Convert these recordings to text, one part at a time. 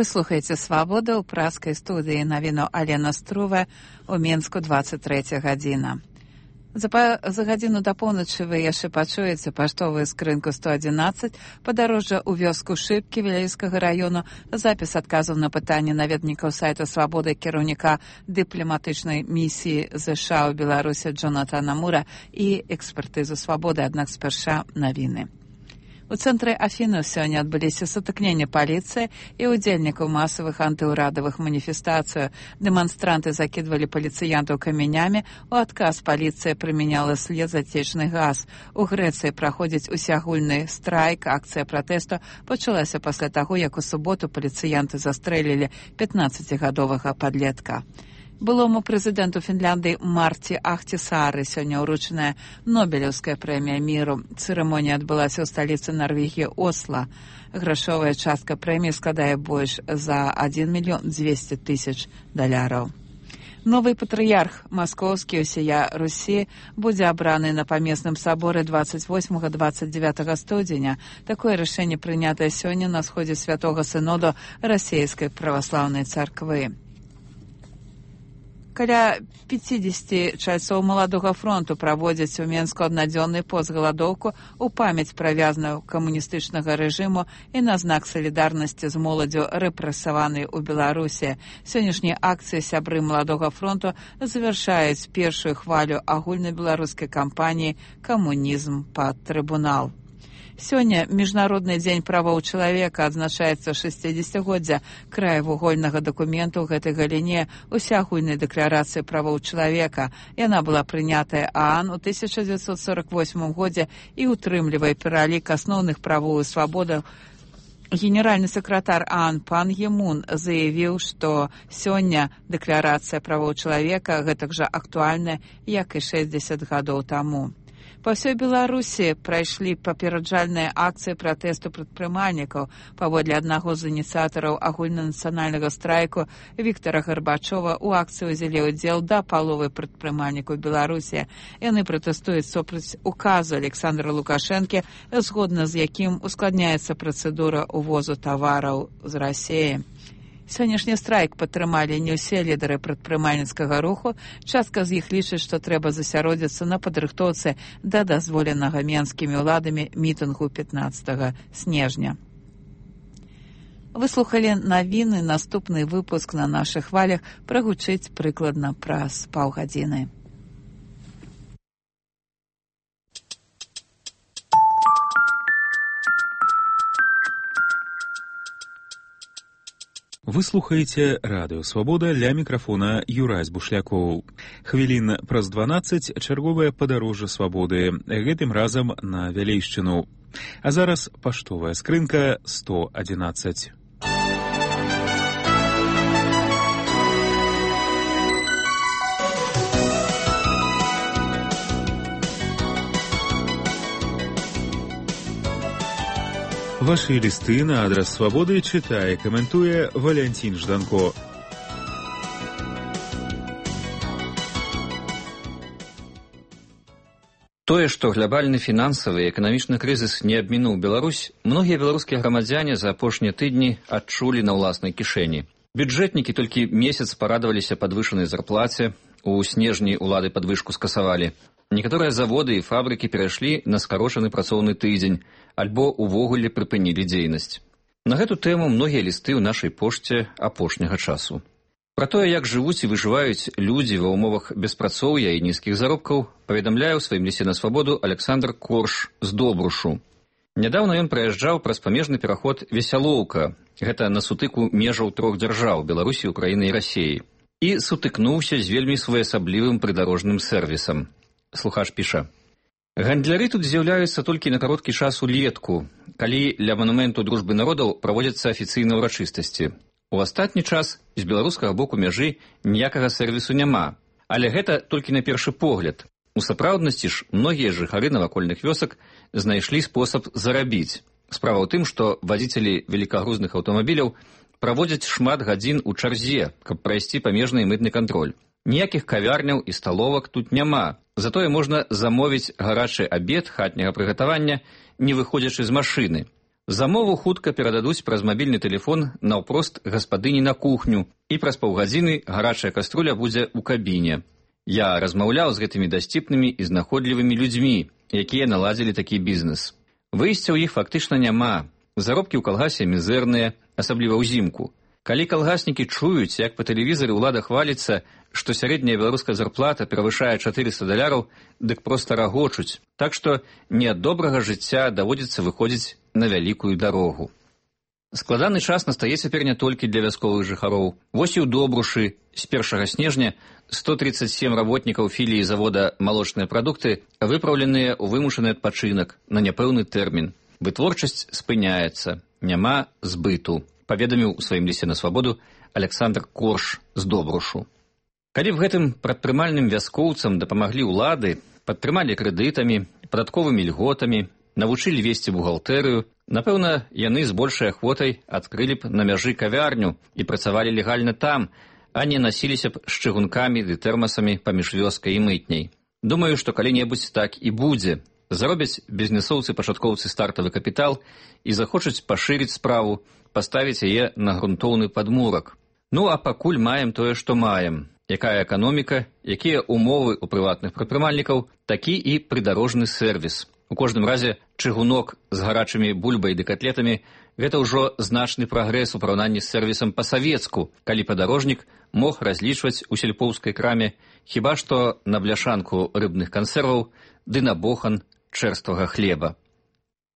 Вы слухаеце «Свабода» ў праскай студыі навіну Алена Струве у Мінску 23 гадзіна. За гадзіну да поўначы вы яшчэ пачуеце паштовую скрынку 111, падарожжа ў вёску Шыбкі Віляйскага раёну, запіс адказаў на пытанні наведнікаў сайта «Свабода» кіраўніка дыпламатычнай місіі ЗША ў Беларусі Джонатана Мура і экспертызу «Свабоды», аднак спярша навіны. У цэнтры Афінаў сёння адбыліся сутыкненні паліцыі і ўдзельнікаў масавых антыўрадавых маніфестацый. Дэманстранты закідвалі паліцыянтаў камянямі, у адказ паліцыя прымяняла слезатечны газ. У Грэцыі праходзіць усеагульны страйк, акцыя пратэсту пачалася пасля таго, як у суботу паліцыянты застрэлілі 15-гадовага падлетка. Былому прэзідэнту Фінляндыі Марці Ахтісары сёння ўручаная Нобелеўская прэмія міру. Цырымонія адбылася ў сталіцы Нарвегіі Осла. Грашовая частка прэміі складае больш за 1 200 000 даляраў. Новый патрыярх маскоўскі ўсія Русі будзе абраны на памесным саборы 28-29 студзеня. Такое рашэнне прынятае сёння на сходзе святога сыноду расійскай праваслаўнай царквы. Каля 50 чальцоў маладога фронту праводзяць у Менску аднадзённы постгаладоўку ў памяць пра вязнаў камуністычнага рэжыму і на знак салідарнасці з моладзю рэпрэсаванай у Беларусі. Сённяшнія акцыі сябры маладога фронту завяршаюць першую хвалю агульнабеларускай кампаніі «Камунізм пад трыбунал». Сёння Міжнародны дзень правоў чалавека адзначаецца 60-годдзя краевугольнага дакументу ў гэтай галіне усеагульнай дэкларацыі правоў чалавека. Яна была прынятая ААН у 1948 годзе і утрымлівае пералік асноўных правоў і свабодаў. Генеральны сакратар ААН Пан Гі Мун заявіў, што сёння дэкларацыя правоў чалавека гэтак жа актуальная, як і 60 гадоў таму. Па ўсёй Беларусі прайшлі папераджальныя акцыі пратэсту прадпрымальнікаў. Паводле аднаго з ініцыятараў агульнанацыянальнага страйку Віктара Гарбачова, у акцыі ўзялі ўдзел да паловы прадпрымальнікаў Беларусі. Яны пратэстуюць супраць указу Александра Лукашэнкі, згодна з якім ускладняецца працэдура ўвозу тавараў з Расіі. Сённяшні страйк падтрымалі не ўсе лідары прадпрымальніцкага руху. Частка з іх лічыць, што трэба засяродзіцца на падрыхтоўцы да дазволенага менскімі ўладамі мітынгу 15 снежня. Вы слухалі навіны, наступны выпуск на нашых хвалях прагучыць прыкладна праз паўгадзіны. Вы слухаеце радыё «Свабода», ля мікрафона Юрась Бушлякоў. Хвілін праз 12 чарговае падарожжа свабоды, гэтым разам на Вялейшчыну. А зараз паштовая скрынка 111. Ваши листы на адрес «Свободы» читае, каментуе Валентин Жданко. Тое, што глобальны фінансавы і эканамічны крызіс не абмінуў Беларусь, многія беларускія грамадзяне за апошнія тыдні адчулі на ўласнай кішэні. Бюджэтнікі толькі месяц парадаваліся падвышанай зарплаце, у снежні ўлады падвышку скасавалі. Некаторыя заводы і фабрыкі перайшлі на скарочаны працоўны тыдзень, альбо увогуле прыпынілі дзейнасць. На гэту тэму многія лісты ў нашай пошце апошняга часу. Пра тое, як жывуць і выжываюць людзі ва ўмовах беспрацоўя і нізкіх заробкаў, паведамляе ў сваім лісце на свабоду Александр Корж з Добрушу. Нядаўна ён праязджаў праз памежны пераход Весялоўка, гэта на сутыку межаў трох дзяржаў Беларусі, Украіны і Расіі, і сутыкнуўся з вельмі своеасаблівым прыдарожным сэрвісам. Слухач піша: гандляры тут з'яўляюцца толькі на кароткі час улетку, калі ля манументу дружбы народаў праводзяцца афіцыйныя ўрачыстасці. У астатні час з беларускага боку мяжы ніякага сэрвісу няма, але гэта толькі на першы погляд. У сапраўднасці ж многія жыхары навакольных вёсак знайшлі спосаб зарабіць. Справа ў тым, што вадзіцелі велікагрузных аўтамабіляў праводзяць шмат гадзін у чарзе, каб прайсці памежны і мытны кантроль. Ніякіх кавярняў і сталовак тут няма, затое можна замовіць гарачы абед хатняга прыгатавання, не выходзячы з машыны. Замову хутка перададуць праз мабільны тэлефон наўпрост гаспадыні на кухню, і праз паўгадзіны гарачая каструля будзе ў кабіне. Я размаўляў з гэтымі дасціпнымі і знаходлівымі людзьмі, якія наладзілі такі бізнес. Выйсця ў іх фактычна няма. Заробкі ў калгасе мізэрныя, асабліва ўзімку. Калі калгаснікі чуюць, як па тэлевізары ўлада хваліцца, што сярэдняя беларуская зарплата перавышае $400, дык проста рагочуць. Так што не ад добрага жыцця даводзіцца выходзіць на вялікую дарогу. Складаны час настае цяпер не толькі для вясковых жыхароў. Вось і ў Добрушы з 1 снежня 137 работнікаў філіі завода «Малочныя прадукты» выпраўленыя ў вымушаны адпачынак на няпэўны тэрмін. Вытворчасць спыняецца, няма збыту, паведаміў у сваім лісце на свабоду Александр Корж з Добрушу. Калі б гэтым прадпрымальным вяскоўцам дапамаглі ўлады, падтрымалі крэдытамі, падатковымі льготамі, навучылі весці бухгалтэрыю, напэўна, яны з большай ахвотай адкрылі б на мяжы кавярню і працавалі легальна там, а не насіліся б з чыгункамі ды тэрмасамі паміж вёскай і мытняй. Думаю, што калі-небудзь так і будзе. Заробяць бізнесоўцы-пачаткоўцы стартавы капітал і захочуць пашырыць справу, паставіць яе на грунтоўны падмурак. Ну, а пакуль маем тое, што маем. Якая эканоміка, якія умовы ў прыватных прадпрымальнікаў, такі і прыдарожны сервіс. У кожным разе чыгунок з гарачымі бульбай ды катлетамі – гэта ўжо значны прагрэс у параўнанні з сервісам па-савецку, калі падарожнік мог разлічваць у сельпоўскай краме хіба што на бляшанку рыбных кансерваў ды на бохан чэрствага хлеба.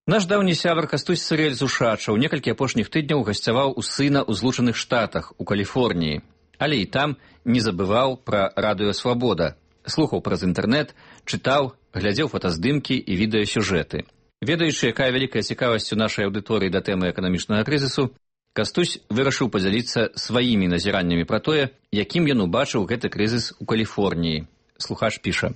Наш даўні сябар Кастусь Сырэль з Ушачаў некалькі апошніх тыдняў гасцяваў у сына ў Злучаных Штатах, у Каліфорніі. Але і там не забываў пра радыё «Свабода». Слухаў праз інтэрнэт, чытаў, глядзеў фотаздымкі і відэасюжэты. Ведаючы, якая вялікая цікавасць у нашай аўдыторыі да тэмы эканамічнага крызісу, Кастусь вырашыў падзяліцца сваімі назіраннямі пра тое, якім ён убачыў гэты крызіс у Каліфорніі. Слухач піша: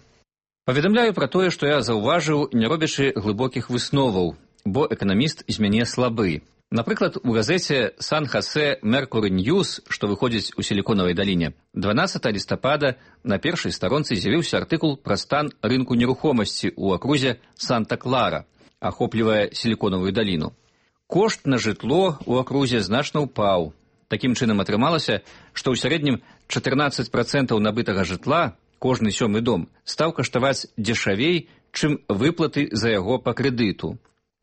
«Паведамляю пра тое, што я заўважыў, не робячы глыбокіх высноваў, бо эканаміст з мяне слабы. Напрыклад, у газеце «Сан-Хосе Меркуры Ньюс», што выходзіць у Сіліконавай даліне, 12 лістапада на першай старонцы з'явіўся артыкул пра стан рынку нерухомасці ў акрузе Санта-Клара, ахоплівае Сіліконавую даліну. Кошт на жытло ў акрузе значна ўпаў. Такім чынам атрымалася, што ў сярэднім 14% набытага жытла, кожны 7-й дом, стаў каштаваць дзешавей, чым выплаты за яго па крэдыту.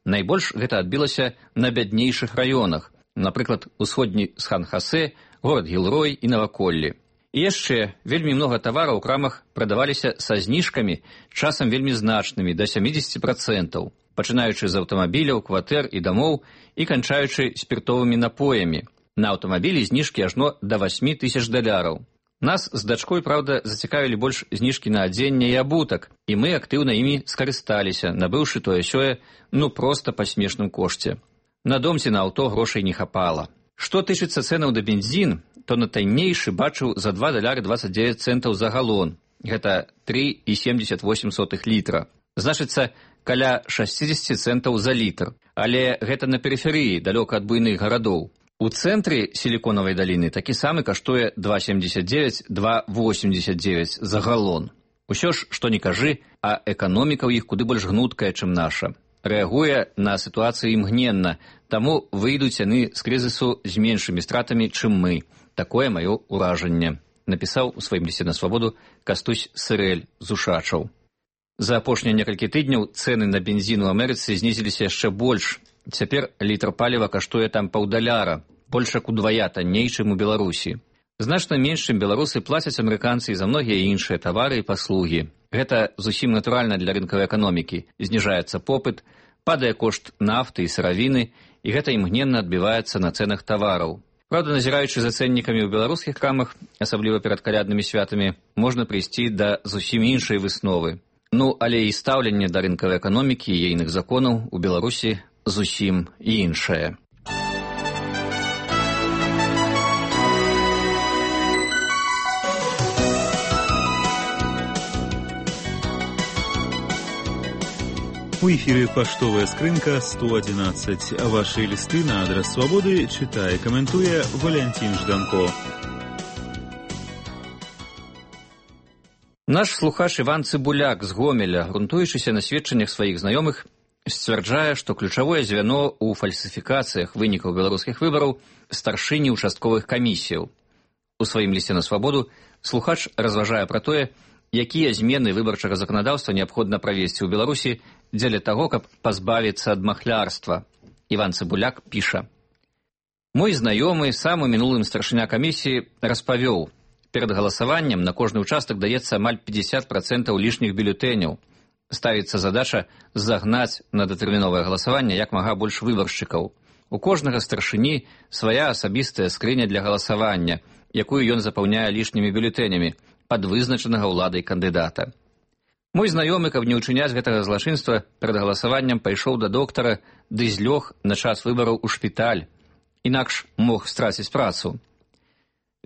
Найбольш гэта адбілася на бяднейшых раёнах, напрыклад, усходні Сан-Хосе, горад Гілрой і наваколлі. І яшчэ вельмі многа тавараў у крамах прадаваліся са зніжкамі, часам вельмі значнымі, да 70%, пачынаючы з аўтамабіляў, кватэр і дамоў і канчаючы спіртовымі напоямі. На аўтамабілі зніжкі ажно да $8,000. Нас з дачкой, праўда, зацікавілі больш зніжкі на адзенне і абутак, і мы актыўна імі скарысталіся, набыўшы тое-сёе, ну проста па смешным кошце. На дом ці на аўто грошай не хапала. Што тычыцца цэнаў да бензін, то на таннейшы бачыў за $2.29 за галон. Гэта 3,78 літра. Значыцца, каля 60 центаў за літр. Але гэта на перыферыі, далёка ад буйных гарадоў. У цэнтры Сіліконавай даліны такі самы каштуе 2,79, 2,89 за галон. Усё ж, што не кажы, а эканоміка ў іх куды больш гнуткая, чым наша. Рэагуе на сітуацыю імгненна, таму выйдуць яны з крызісу з меншымі стратамі, чым мы. Такое маё ўражанне, напісаў у сваім лісце на свабоду Кастусь Сырэль з Ушачаў. За апошнія некалькі тыдняў цэны на бензін у Амерыцы знізіліся яшчэ больш. Цяпер літр паліва каштуе там $1,5, больш як удвая танней, чым у Беларусі. Значна менш, чым беларусы, плацяць амерыканцы і за многія іншыя тавары і паслугі. Гэта зусім натуральна для рынкавай эканомікі. Зніжаецца попыт, падае кошт нафты і сыравіны, і гэта імгненна адбіваецца на цэнах тавараў. Праўда, назіраючы за цэннікамі ў беларускіх крамах, асабліва перад каляднымі святамі, можна прыйсці да зусім іншай высновы. Ну, але і стаўленне да рынкавай эканомікі і ейных законаў у Беларусі зусім іншае. У эфире поштовая скрынка 111. Ваши листы на адрес Свободы читая и комментуя Валентин Жданко. Наш слухач Іван Цыбуляк з Гомеля, грунтуючыся на сведчаннях сваіх знаёмых, сцвярджае, што ключавое звяно ў фальсіфікацыях вынікаў беларускіх выбараў старшыні участковых камісіяў. У сваім лісце на свабоду слухач разважае пра тое, якія змены выбарчага заканадаўства неабходна правесці ў Беларусі дзеля таго, каб пазбавіцца ад махлярства. Іван Цыбуляк піша: «Мой знаёмы, самы мінулым старшыня камісіі, распавёў, перад галасаваннем на кожны ўчастак даецца амаль 50% лішніх бюлетэняў. Ставіцца задача загнаць на датэрміновае галасаванне як мага больш выбаршчыкаў. У кожнага старшыні свая асабістая скрыня для галасавання, якую ён запаўняе лішнімі бюлетэнямі пад вызначанага ўладай кандыдата. Мой знаёмы, каб не ўчыняць гэтага злачынства, перад галасаваннем пайшоў да доктара ды злёг на час выбараў у шпіталь, інакш мог страціць працу.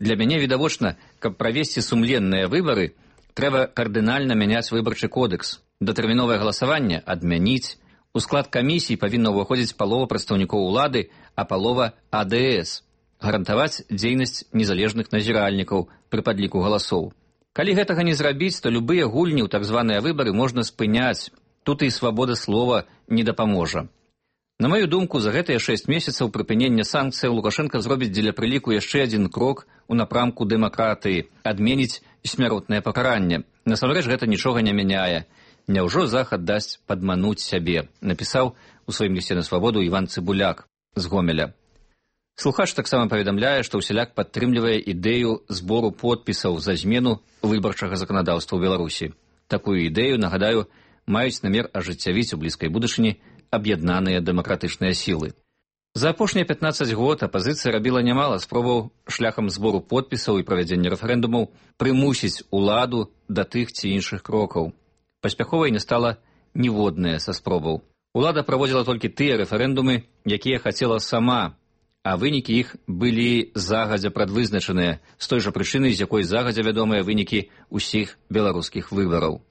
Для мяне відавочна, каб правесці сумленныя выбары, трэба кардынальна мяняць выбарчы кодекс, датэрміновае галасаванне адмяніць, у склад камісій павінна ўваходзіць палова прадстаўнікоў улады, а палова АДС, гарантаваць дзейнасць незалежных назіральнікаў пры падліку галасоў. Калі гэтага не зрабіць, то любыя гульні ў так званыя выбары можна спыняць, тут і свабода слова не дапаможа. На маю думку, за гэтыя 6 месяцаў прыпынення санкцыяў Лукашенко зробіць дзеля прыліку яшчэ адзін крок у напрамку дэмакратыі, адменіць смяротнае пакаранне. Насамрэч гэта нічога не мяняе. Няўжо Захад дасць падмануць сябе, напісаў у сваім лісце на свабоду Іван Цыбуляк з Гомеля. Слухач таксама паведамляе, што ўсяляк падтрымлівае ідэю збору подпісаў за змену выбарчага заканадаўства ў Беларусі. Такую ідэю, нагадаю, маюць намер ажыццявіць у блізкай будучыні аб'яднаныя дэмакратычныя сілы. За апошнія 15 год апазіцыя рабіла нямала спробаў шляхам збору подпісаў і правядзення рэферэндумаў прымусіць уладу да тых ці іншых крокаў. Паспяховай не стала ніводная са спробаў. Улада праводзіла толькі тыя рэферэндумы, якія хацела сама, а вынікі іх былі загадзя прадвызначаныя, з той жа прычыны, з якой загадзя вядомыя вынікі ўсіх беларускіх выбараў.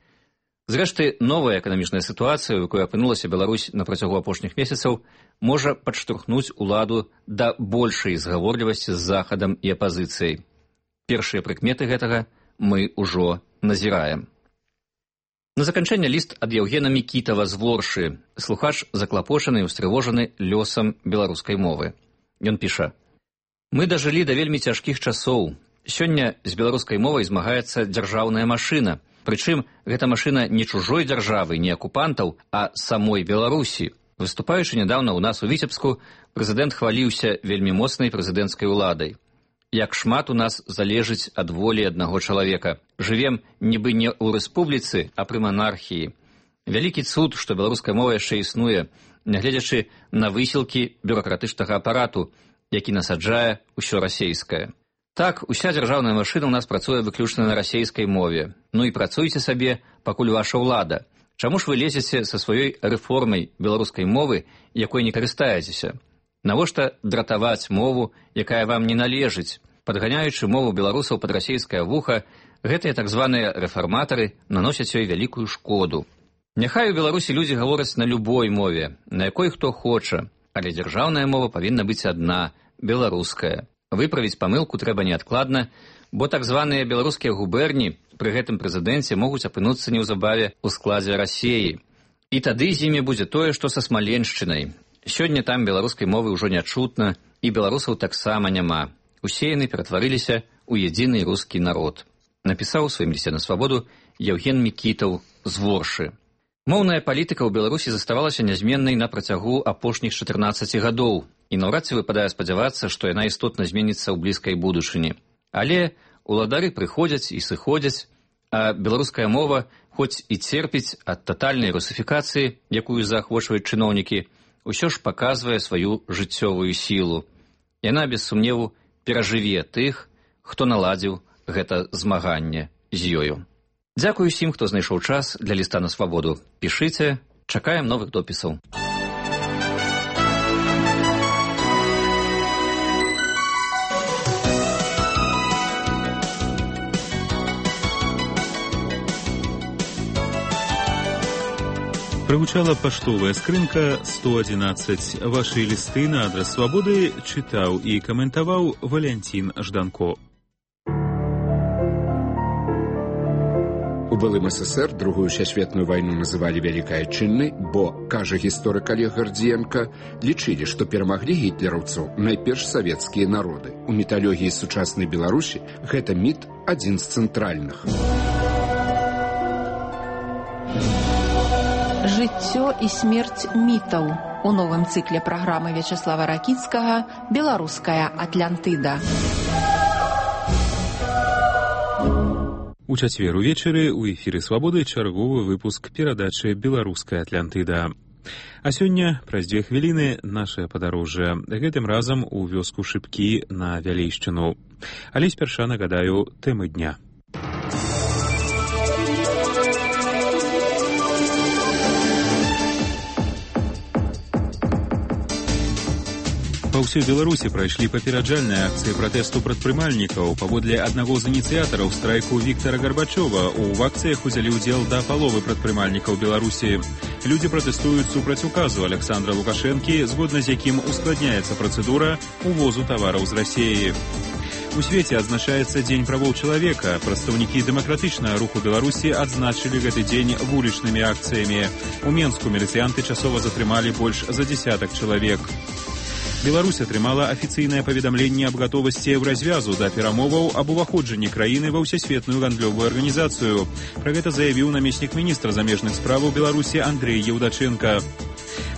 Зрэшты, новая эканамічная сітуацыя, у якой апынулася Беларусь на працягу апошніх месяцаў, можа падштурхнуць уладу да большай згаворлівасці з Захадам і апазіцыяй. Першыя прыкметы гэтага мы ўжо назіраем. На заканчэнне ліст ад Яўгена Мікітава з Воршы. Слухач заклапочаны і устрывожаны лёсам беларускай мовы. Ён піша: «Мы дажылі да вельмі цяжкіх часоў. Сёння з беларускай мовай змагаецца дзяржаўная машына. Прычым, гэта машына не чужой дзяржавы, не акупантаў, а самой Беларусі. Выступаючы нядаўна ў нас у Віцебску, прэзідэнт хваліўся вельмі моцнай прэзідэнцкай уладай. Як шмат у нас залежыць ад волі аднаго чалавека. Жывем нібы не ў рэспубліцы, а пры манархіі. Вялікі цуд, што беларуская мова яшчэ існуе, нягледзячы на высілкі бюракратычнага апарату, які насаджае ўсё расейскае. Так, уся дзяржаўная машына ў нас працуе выключна на расейскай мове. Ну і працуйце сабе, пакуль ваша ўлада. Чаму ж вы лезеце са сваёй рэформай беларускай мовы, якой не карыстаецеся? Навошта дратаваць мову, якая вам не належыць? Падганяючы мову беларусаў пад расейскае вуха, гэтыя так званыя рэфарматары наносяць ёй вялікую шкоду. Няхай у Беларусі людзі гавораць на любой мове, на якой хто хоча, але дзяржаўная мова павінна быць адна, беларуская. Выправіць памылку трэба неадкладна, бо так званыя беларускія губерні пры гэтым прэзідэнце могуць апынуцца неўзабаве ў складзе Расеі. І тады з імі будзе тое, што са Смаленшчынай. Сёння там беларускай мовы ўжо не чутна, і беларусаў таксама няма. Усе яны ператварыліся ў едзіны рускі народ. Напісаў у сваім лісце на свабоду Яўген Мікітаў з Воршы. Моўная палітыка ў Беларусі заставалася нязменнай на працягу апошніх 14 гадоў, і наўрад ці выпадае спадзявацца, што яна істотна зменіцца ў блізкай будучыні. Але уладары прыходзяць і сыходзяць, а беларуская мова, хоць і церпіць ад татальнай русіфікацыі, якую заахвочваюць чыноўнікі, усё ж паказвае сваю жыццёвую сілу. Яна, без сумневу, перажыве тых, хто наладзіў гэта змаганне з ёю. Дзякую усім, хто знайшоў час для ліста на свабоду. Пішыце, чакаем новых допісаў. Прагучала паштовая скрынка 111. Вашы лісты на адрас свабоды чытаў і каментаваў Валянцін Жданко. У былым СССР Другую сусветную вайну называлі вялікай адчыннай, бо, кажа гісторык Олег Гардзіенка, лічылі, што перамаглі гітлераўцаў найперш савецкія народы. У міталогіі сучаснай Беларусі гэта міт адзін з цэнтральных. Жыццё і смерць мітаў у новым цыкле праграмы Вячеслава Ракіцкага «Беларуская Атлантыда». У чацвер увечары ў эфіры «Свабоды» чарговы выпуск перадачы «Беларуская Атлантыда». А сёння, праз 2 хвіліны, нашае падарожжа. Гэтым разам у вёску Шыпкі на Вялейшчыну. Але спярша нагадаю тэмы дня. Па ўсёй Беларусі прайшлі папераджальныя акцыі пратэсту прадпрымальнікаў. Паводле аднаго з ініцыятараў страйку Віктара Гарбачова, у акцыях узялі ўдзел да паловы прадпрымальнікаў Беларусі. Людзі пратэстуюць супраць указу Александра Лукашэнкі, згодна з якім ускладняецца працэдура увозу тавараў з Расіі. У свеце адзначаецца Дзень правоў чалавека. Прадстаўнікі дэмакратычнага руху Беларусі адзначылі гэты дзень вулічнымі акцыямі. У Менску міліцыянты часова затрымалі больш за 10 чалавек. Беларусь атрымала афіцыйнае паведамленне аб гатовасці еўразвязу да перамоваў аб уваходжанні краіны ва ўсесветную гандлёвую арганізацыю. Пра гэта заявіў намеснік міністра замежных справаў Беларусі Андрэй Еўдачэнка.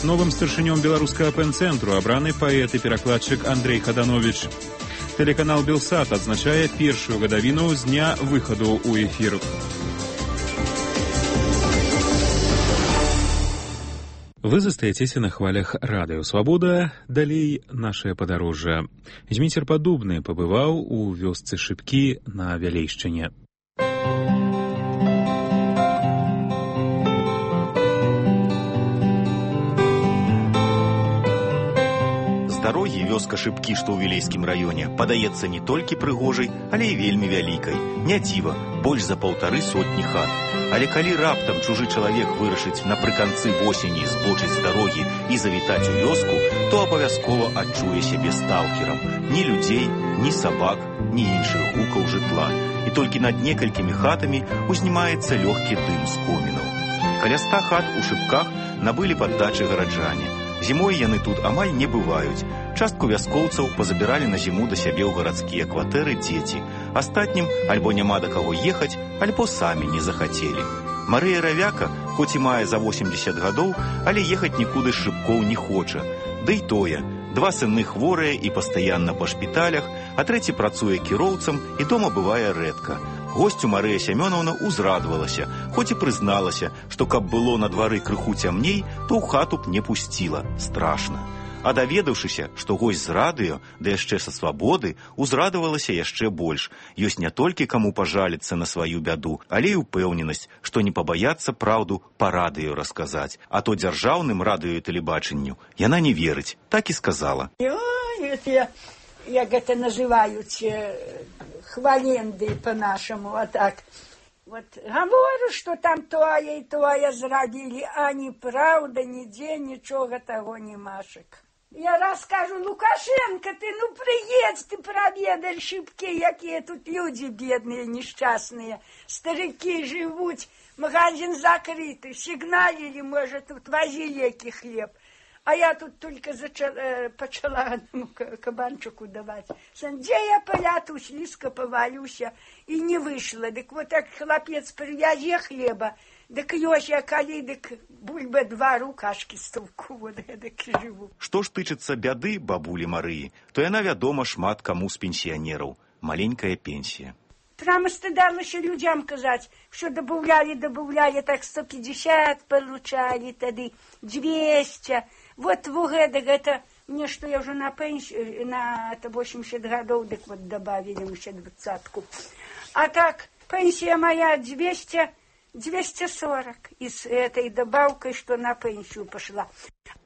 Новым старшынём беларускага пэн-цэнтру абраны паэт і перакладчык Андрэй Хаданович. Тэлеканал «Белсат» адзначае першую гадавіну з дня выхаду ў эфір. Вы застаецеся на хвалях радыё «Свабода», далей нашае падарожжа. Зміцер Падубны пабываў у вёсцы Шыпкі на Вялейшчыне. З дарогі вёска Шыпкі, што ў Вілейскім раёне, падаецца не толькі прыгожай, але і вельмі вялікай. Не дзіва, больш за 150 хат. Але калі раптам чужы чалавек вырашыць напрыканцы восені збочыць з дарогі і завітаць у вёску, то абавязкова адчуе сябе сталкерам. Ні людзей, ні сабак, ні іншых гукаў жытла. І толькі над некалькімі хатамі узнімаецца лёгкі дым з комінаў. Каля 100 хат у Шыпках набылі паддачы гараджане. Зімой яны тут амаль не бываюць. Частку вяскоўцаў пазабіралі на зіму да сябе ў гарадскія кватэры дзеці. Астатнім альбо няма да каго ехаць, альбо самі не захацелі. Марыя Равяка, хоць і мае за 80 гадоў, але ехаць нікуды з Шыпкоў не хоча. Ды і тое, 2 сыны хворыя і пастаянна па шпіталях, а трэці працуе кіроўцам і дома бывае рэдка. Госцю Марыя Сямёнаўна узрадавалася, хоць і прызналася, што каб было на двары крыху цямней, то ў хату б не пусціла. Страшна. А даведаўшыся, што госць з радыё, да яшчэ са свабоды, узрадавалася яшчэ больш. Ёсць не толькі каму пажаліцца на сваю бяду, але і ўпэўненасць, што не пабаяцца праўду па радыё расказаць. А то дзяржаўным радыё і тэлебачанню яна не верыць. Так і сказала. Як гэта называюць, хваленды по-нашаму, а так. Вот говорю, што там тое і тое зрабілі, а ні праўда, нідзе нічога таго немашек. Я раз кажу, Лукашенко, ты прыедзь, ты праведай Шыпкі, якія тут людзі бедныя, несчастныя, старыкі жывуць, магазин закрыты, сігналілі, можа, тут вазі лекі хлеб. А я тут только пачала кабанчику давать. Где я поляту, слизко повалюся, и не вышла. Дык вот так хлопец привязе хлеба, дык ёсць я калі, дык бульба 2 рукашки столку, вот эдак живу. Што ж тычыцца бяды бабулі Марыі, то яна вядома шмат каму з пенсіянераў. Маленькая пенсія. Прямо стыдалася людям казаць, що добавляли, так 150 получали, тады 200. Вот это мне, что я уже на пенсию, на 80 годов, так вот добавили еще 20-ку. А так, пенсия моя 240 и с этой добавкой, что на пенсию пошла.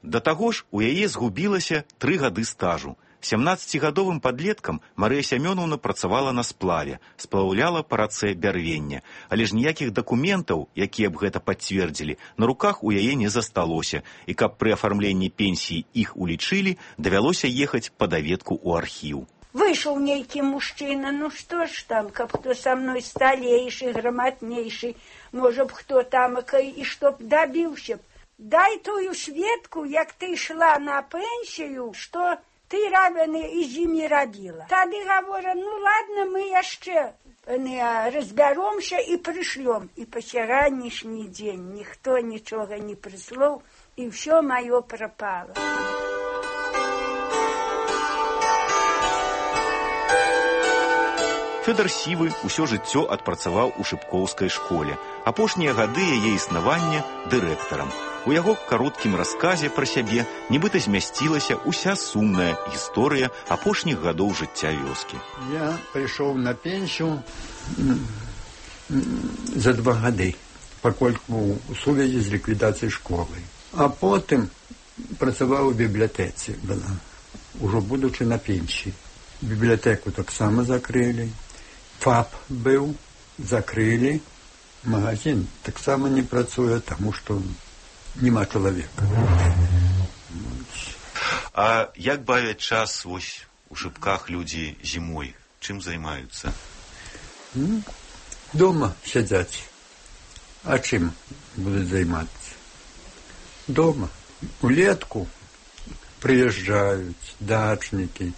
Да таго ж у яе згубілася 3 гады стажу. 17-гадовым падлеткам Марыя Сямёнаўна працавала на сплаве, сплаўляла па рацэ бярвення, але ж ніякіх дакументаў, якія б гэта пацвердзілі, на руках у яе не засталося, і каб пры афармленні пенсіі іх улічылі, давялося ехаць па даведку ў архіў. Вышел нейкі мужчына, ну што ж там, каб хто са мной сталейшы, грамотнейшы, можа б хто тамакай, і што б дабіўся б. Дай тую сведку, як ты шла на пенсію, што ты рабяны і з імі рабіла. Тады гаворам, ну ладно, мы яшчэ разбяромся і прышлём. І па сягонняшні дзень ніхто нічога не прыслоў, і ўсё маё прапала. Фёдор Сівы ўсё жыццё адпрацаваў у шыпкоўскай школе. Апошнія гады яе існавання дырэктарам. У яго кароткім расказе пра сябе нібыта змясцілася ўся сумная гісторыя апошніх гадоў жыцця вёскі. Я прыйшоў на пенсію за 2 гады, пакольку ў сувязі з ліквідацыяй школы. А потым працаваў у бібліятэцы, ужо будучы на пенсіі. Бібліятэку таксама закрылі. ФАП быў, закрылі. Магазин таксама не працуе, таму што няма чалавека. А як бавяць час вось у Шыпках людзі зімой? Чым займаюцца? Дома сядзяць. А чым будуць займацца? Дома. Улетку прыязджаюць дачнікі,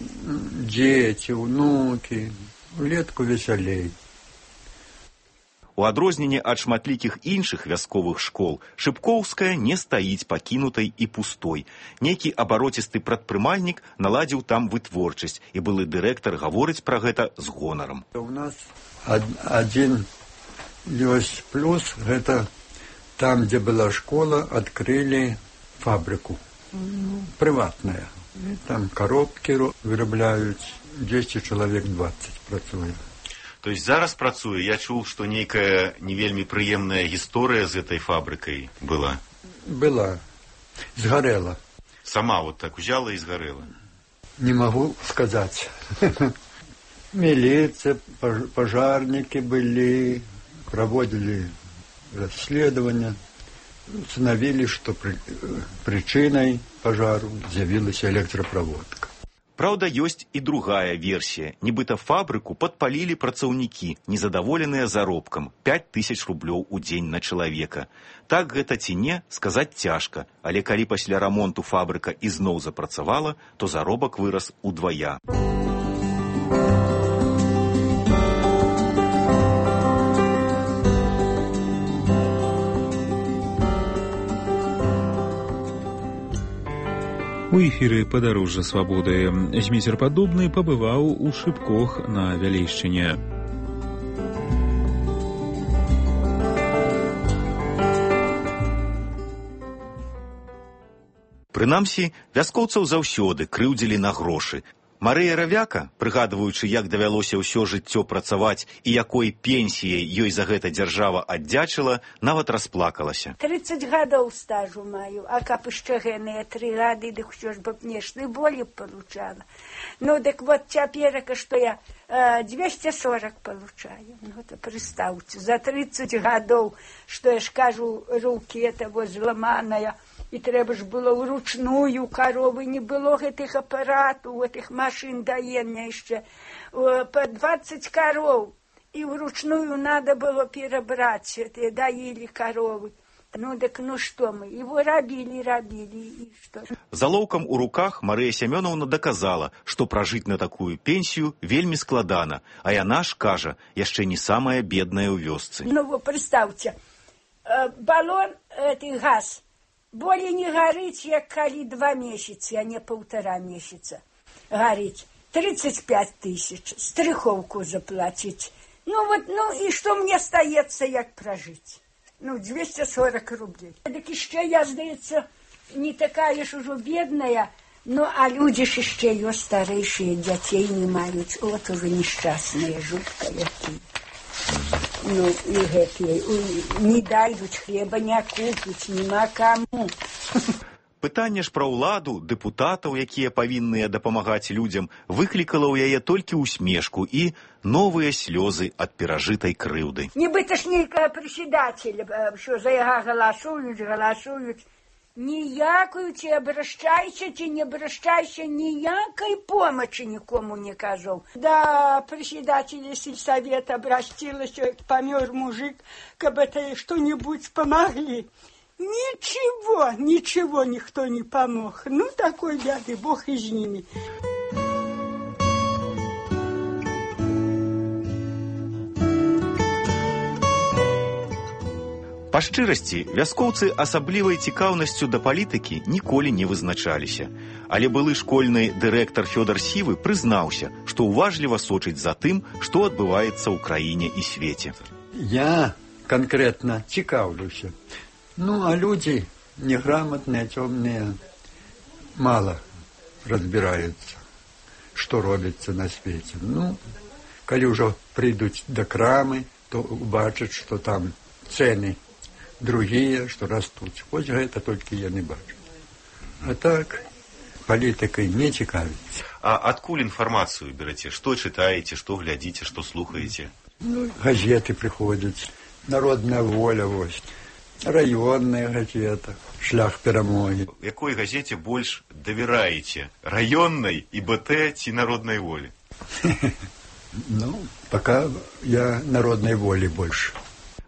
дзеці, унукі. Улетку весялей. У адрозненне ад шматлікіх іншых вясковых школ, Шыпкоўская не стаіць пакінутай і пустой. Нейкі абароцісты прадпрымальнік наладзіў там вытворчасць, і былы дырэктар гаворыць пра гэта з гонарам. У нас адзін ёсць плюс, гэта там, дзе была школа, адкрылі фабрыку. Прыватная. Там коробкі вырабляюць, 10 чалавек 20 працуе. То есть зараз працуе? Я чуў, што нейкая не вельмі прыемная гісторыя з этой фабрыкай была. Была. Згарэла. Сама вот так узяла і згарэла? Не магу сказаць. Міліцыя, пажарнікі былі, праводзілі расследаванне, установілі, што прычынай пажару з'явілася электраправодка. Праўда, ёсць і другая версія. Нібыта фабрыку падпалілі працаўнікі, незадаволеныя заробкам 5000 рублёў у дзень на чалавека. Так гэта ці не, сказаць цяжка, але калі пасля рамонту фабрыка ізноў запрацавала, то заробак вырас удвая. У эфіры «Падарожжа свабоды» Зміцер Падобны пабываў у Шыпкох на Вялейшчыне. Прынамсі, вяскоўцаў заўсёды крыўдзілі на грошы. Марыя Равяка, прыгадваючы, як давялося ўсё жыццё працаваць і якой пенсіяй ёй за гэта дзяржава аддзячыла, нават расплакалася. 30 гадоў стажу маю, а каб яшчэ гэныя 3 гады, дык усё ж бы нештай болі получала. Ну, дык вот цяперака, што я 240 получаю. Ну, то прыстаўце, за 30 гадоў, што я ж кажу, рукі это вот зламаная, і трэба ж было ўручную каровы, не было гэтых апаратаў, гэтых машын даення яшчэ. По 20 кароў, і ўручную надо было перабраць, даілі каровы. Ну, дык ну што мы, его рабілі, і што? Залоўкам у руках Марыя Сямёнаўна даказала, што пражыць на такую пенсію вельмі складана, а яна ж, кажа, яшчэ не самая бедная ў вёсцы. Ну, вы прадстаўце, балон, газ, болей не гарыць, як калі 2 месяцы, а не 1,5 месяца гарыць. 35 000, стрыхоўку заплаціць. Ну, вот, ну, і што мне стаецца, як пражыць? Ну, 240 рублей. Дык яшчэ, я, здаецца, не такая ж ужо бедная, ну, а людзі ж яшчэ ёсць старэйшыя, дзяцей не маюць. От ужо нешчасныя, жутка якія. Ну, і гэтыя, не дайдуць хлеба, не купіць, нема каму. Пытанне ж пра ўладу, дэпутатаў, якія павінныя дапамагаць людзям, выклікала ў яе толькі усмешку і новыя слёзы ад перажытай крыўды. Нібыта ж нейкага прысядателя, що за яго галасуюць, Ніякую ці обращайся, ці не обращайся, ніякой помощи никому не казал. Да, председатель сельсовета обратилась, помер мужик, как бы это что-нибудь помогли. Ничего никто не помог. Ну, такой бяды, Бог и с ними. Па шчырасці, вяскоўцы асаблівай цікаўнасцю да палітыкі ніколі не вызначаліся. Але былы школьны дырэктар Фёдар Сівы прызнаўся, што уважліва сочыць за тым, што адбываецца ў краіне і свеце. Я конкретно цікаўлюся. Ну, а люди неграмотные, темные, мало разбираются, что робится на свете. Ну, коли уже придут до крамы, то убачат, что там цены другие, что растут. Хоть это только я не бачу. А так, политикой не цікавіцца. А адкуль інфармацыю бераце? Што чытаеце, што глядзіце, што слухаеце? Ну, газеты приходят, «Народная воля», вось, районная газета, «Шлях перамоги». Якой газете больш давяраеце? Раённай, ІБТ ці «Народнай волі»? Ну, пока я «Народной воли» больше.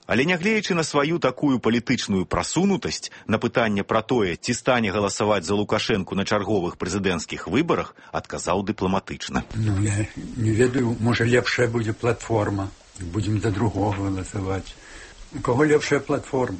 Але нягледзячы на сваю такую палітычную прасунутасць, на пытанне пра тое, ці стане галасаваць за Лукашэнку на чарговых прэзідэнцкіх выбарах, адказаў дыпламатычна. Ну, я не ведаю, можа лепшая будзе платформа. Будзем за другого галасаваць. У каго лепшая платформа?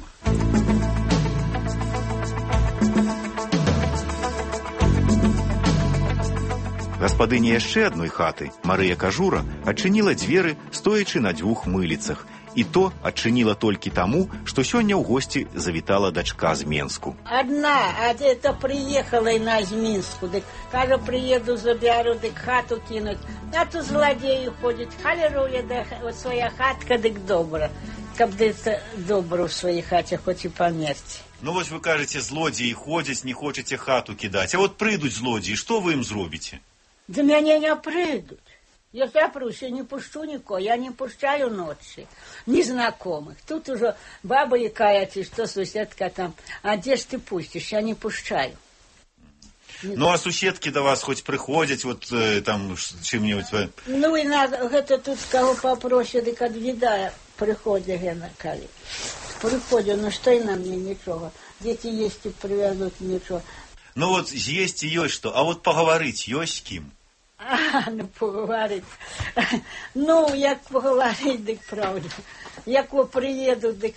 Гаспадыня яшчэ адной хаты, Марыя Кажура, адчыніла дзверы, стоячы на дзвюх мыліцах. І то адчыніла толькі таму, што сёння ў госці завітала дачка з Менску. Одна, а это приехала на з Мінску, дык, кажа, приеду, забяру, дык хату кинуть. А то злодеи ходят, халеруя, да вот своя хатка, дык добра. Каб это добро в своей хате, хоть и померти. Ну вось вы кажаце, злодзеі ходзяць, не хочаце хату кідаць. А вот прыйдуць злодзеі, што вы ім зробіце? Да мяне не прыйдут. Я запрусь, я не пущу никого, я не пущаю ночи, незнакомых. Тут уже баба якая-то, что соседка там, а где ж ты пустишь, я не пущаю. Ну, а суседки до вас хоть приходят, вот там чем-нибудь? Ну, и надо, это тут кого попросят, и как вида приходят, кали. Приходят, ну что и на мне ничего. Дети есть и привезут ничего. Ну вот есть и есть что, а вот поговорить есть с кем? Ну, поговорить. Ну, як поговорить, дик правда. Як ви приїду, дик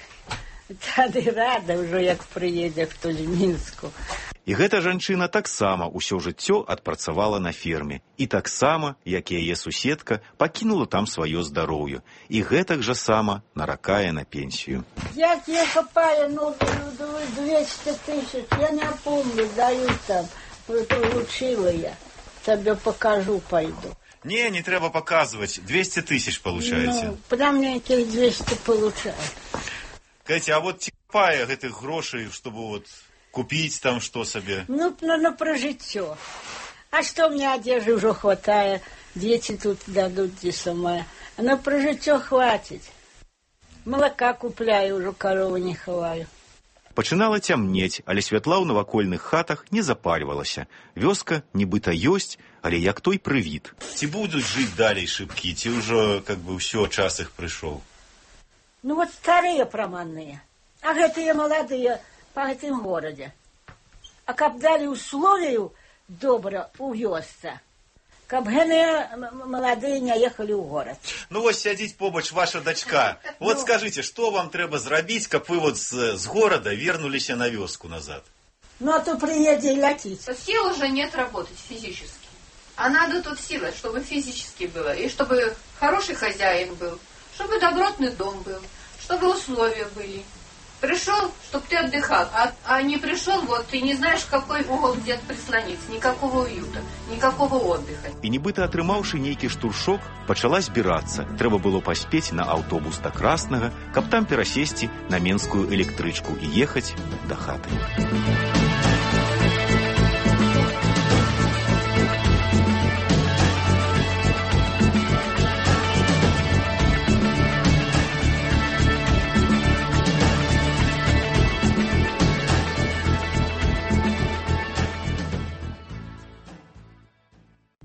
тады рада ўжо, як прыедзе хто з Мінску. І гэта жанчына таксама ўсё жыццё адпрацавала на ферме. І таксама, як і яе суседка, пакінула там сваё здароўе. І гэтак жа сама наракае на пенсію. Як я копаю, ну, 200 тысяч, я не помню, даю там, получила я. Тебе покажу, пойду. Не треба показывать. 200 тысяч получаете. Ну, прям мне этих 200 получаю. Катя, а вот типая этих грошей, чтобы вот купить там что себе? Ну, про житье. А что мне одежды уже хватает? Дети тут дадут, где самое. Но про житье хватит. Молока купляю, уже корову не ховаю. Пачынала цямнець, але святла ў навакольных хатах не запальвалася. Вёска нібыта ёсць, але як той прывід. Ці будуць жыць далей шыбкі, ці ўжо как бы ўсё, час іх прыйшоў? Ну вот старыя праманныя, а гэтыя маладыя па гэтым горадзе. А каб далі условію добра ў вёсцы, каб гэтыя маладыя не ехалі ў горад. Ну вось сядзіць побач ваша дачка. Вот скажите, что вам трэба зрабіць, каб вы вот с города вернулись на вёску назад? Ну а то приедет и летит. Сил уже нет работать физически. А надо тут сила, чтобы физически было. И чтобы хороший хозяин был. Чтобы добротный дом был. Чтобы условия были. Пришел, чтобы ты отдыхал. А не пришел, вот ты не знаешь, в какой угол где-то прислониться. Никакого уюта, никакого отдыха. І нібыта атрымаўшы нейкі штуршок, пачала збірацца. Трэба было паспець на аўтобус да Краснага, каб там перасесці на менскую электрычку і ехаць да хаты.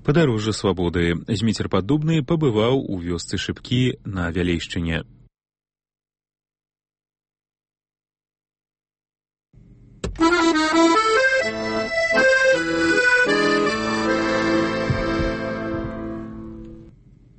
Падарожжа свабоды. Зміцер Паддубны пабываў у вёсцы Шыпкі на Вялейшчыне.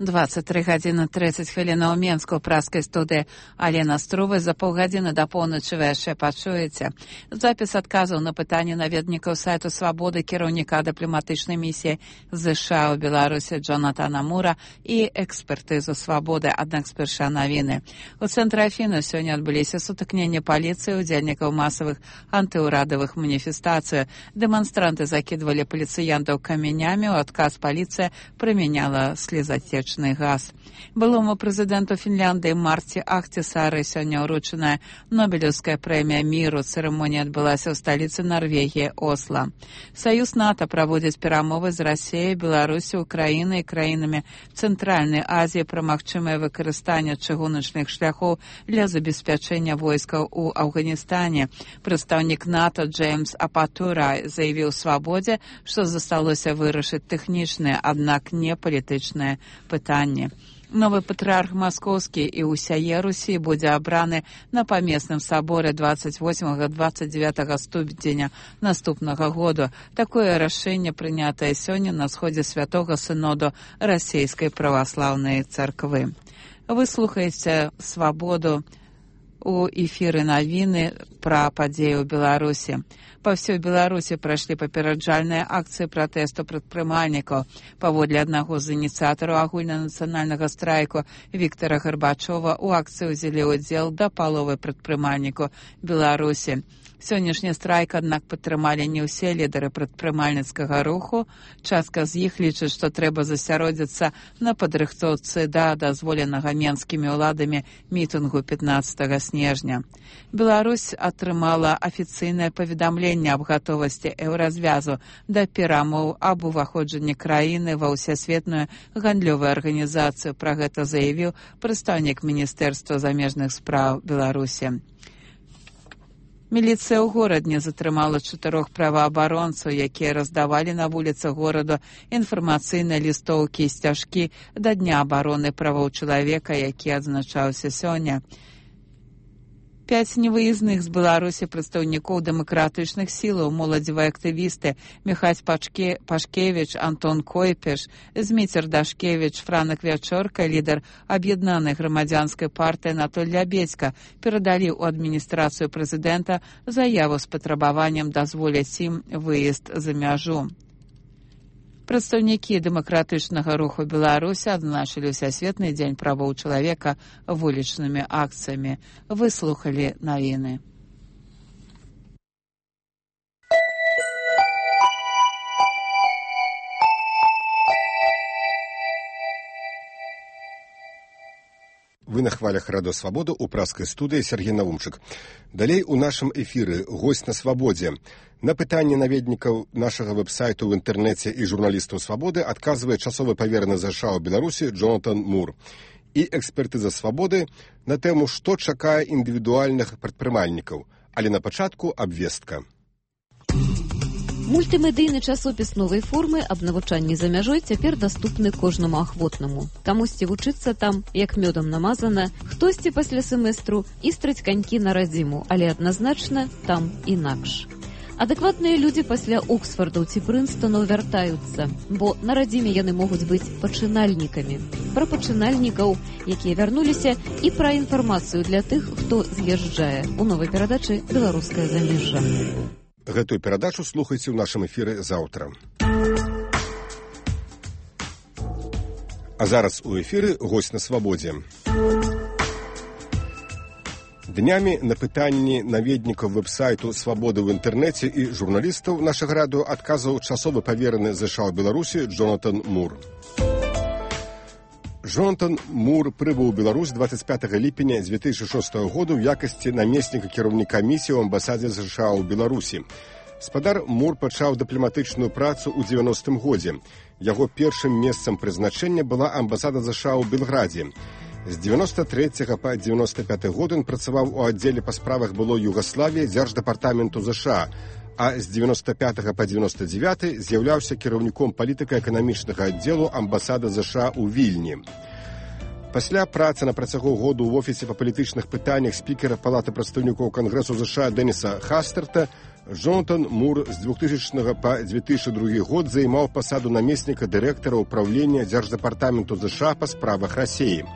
«23 гадзіны 30 хвілінаў у Менску» ў праскай студыі Алена Струвы. За паўгадзіны да поўначы вы яшчэ пачуеце запіс адказаў на пытанні наведнікаў сайту «Свабоды» кіраўніка дыпламатычнай місіі ЗША ў Беларусі Джонатана Мура і экспертызу «Свабоды». Аднак спярша навіны. У цэнтры Афіны сёння адбыліся сутыкненні паліцыі удзельнікаў масавых антыўрадавых маніфестацый. Дэманстранты закідвалі паліцыянтаў камянямі, у адказ паліцыя прымяняла слезацечны газ. Былому прэзідэнту Фінляндыі Марці Ахтісары сёння ўручаная Нобелеўская прэмія міру. Цырымонія адбылася ў сталіцы Нарвегіі Осла. Саюз НАТО праводзіць перамовы з Расіяй, Беларусі, Украінай і краінамі Цэнтральнай Азіі пра магчымае выкарыстанне чыгуначных шляхоў для забеспячэння войскаў у Афганістане. Прадстаўнік НАТО Джеймс Апатура заявіў «Свабодзе», што засталося вырашыць тэхнічныя, аднак не палітычныя пытанні. Новы патрыарх маскоўскі і ўсяе Русі будзе абраны на памесным саборы 28-29 студзеня наступнага году. Такое рашэнне прынятае сёння на сходзе святога сыноду расійскай праваслаўнай царквы. Вы слухаеце «Свабоду» у эфіры навіны пра падзеі ў Беларусі. Па ўсёй Беларусі прайшлі папераджальныя акцыі пратэсту прадпрымальнікаў. Паводле аднаго з ініцыятараў агульнанацыянальнага страйку Віктара Гарбачова, у акцыі ўзялі ўдзел да паловы прадпрымальнікаў Беларусі. Сённяшні страйк, аднак, падтрымалі не ўсе лідары прадпрымальніцкага руху. Частка з іх лічыць, што трэба засяродзіцца на падрыхтоўцы да дазволенага менскімі ўладамі мітынгу 15 снежня. Беларусь атрымала афіцыйнае паведамленне аб гатовасці еўразвязу да перамоў аб уваходжанні краіны ва ўсесветную гандлёвую арганізацыю. Пра гэта заявіў прадстаўнік Міністэрства замежных спраў Беларусі. Міліцыя ў горадні затрымала 4 праваабаронцаў, якія раздавалі на вуліцах гораду інфармацыйныя лістоўкі і сцяжкі да Дня абароны правоў чалавека, які адзначаўся сёння. 5 невыездных з Беларусі прадстаўнікоў дэмакратычных сілаў, моладзевыя актывісты Міхась Пашкевіч, Антон Койпеш, Зміцер Дашкевіч, Франак Вячорка, лідар аб'яднанай грамадзянскай партыі Анатоль Лябедзька перадалі ў адміністрацыю прэзідэнта заяву з патрабаваннем дазволіць ім выезд за мяжу. Прадстаўнікі дэмакратычнага руху Беларусі адзначылі Усесветны дзень правоў чалавека вулічнымі акцыямі. Вы слухалі навіны. Вы на хвалях Радыё Свабода ў праскай студыі Сергей Наумчык. Далей у нашым эфіры госць на свабодзе. На пытанні наведнікаў нашага вэб-сайту ў інтэрнэце і журналістаў Свабоды адказвае часовы павераны ЗША ў Беларусі Джонатан Мур. І экспертыза Свабоды на тэму, што чакае індывідуальных прадпрымальнікаў. Але на пачатку абвестка. Мультымедыйны часопіс новай формы аб навучанні за мяжой цяпер даступны кожнаму ахвотнаму. Камусьці вучыцца там, як мёдам намазана, хтосьці пасля семестру істраць канькі на радзіму, але адназначна там інакш. Адэкватныя людзі пасля Оксфордаў ці Прынстонаў вяртаюцца, бо на радзіме яны могуць быць пачынальнікамі. Пра пачынальнікаў, якія вярнуліся, і пра інфармацыю для тых, хто з'язджае. У новай перадачы «Беларускае замежжа». Гэтую перадачу слухайце ў нашым эфіры заўтра. А зараз у эфіры госць на свабодзе. Днямі на пытанні наведнікаў вэб-сайту «Свабоды» ў інтэрнэце і журналістаў нашага радыё адказаў часовы павераны ЗША ў Беларусі Джонатан Мур. Джонатан Мур прыбыў у Беларусь 25 ліпеня 2006 году ў якасці намесніка кіраўніка місіі ў амбасадзе США ў Беларусі. Спадар Мур пачаў дыпламатычную працу ў 90-м годзе. Яго першым месцам прызначэння была амбасада США ў Белградзе. З 93 па 95 год ён працаваў у аддзеле па справах былой Югаславіі дзярждэпартаменту США, а з 95 па 99 з'яўляўся кіраўніком палітыка-эканамічнага аддзелу амбасады ЗША ў Вільні. Пасля працы на працягу году ў офісе па палітычных пытаннях спікера Палаты прадстаўнікоў Кангрэсу ЗША Дэніса Хастерта Джонатан Мур з 2000 па 2002 год займаў пасаду намесніка дырэктара ўпраўлення Дзярждэпартаменту ЗША па справах Расіі.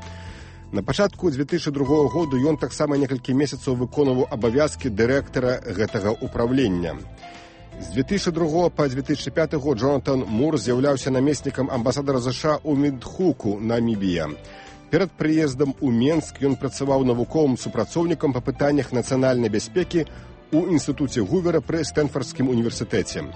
На пачатку 2002 году ён таксама некалькі месяцаў выконваў абавязкі дырэктара гэтага ўпраўлення. З 2002 па 2005 год Джонатан Мур з'яўляўся намеснікам амбасадара ЗША ў Віндхуку, Намібія. Перад прыездам у Менск ён працаваў навуковым супрацоўнікам па пытаннях нацыянальнай бяспекі ў інстытуце Гувера пры Стэнфардскім універсітэце.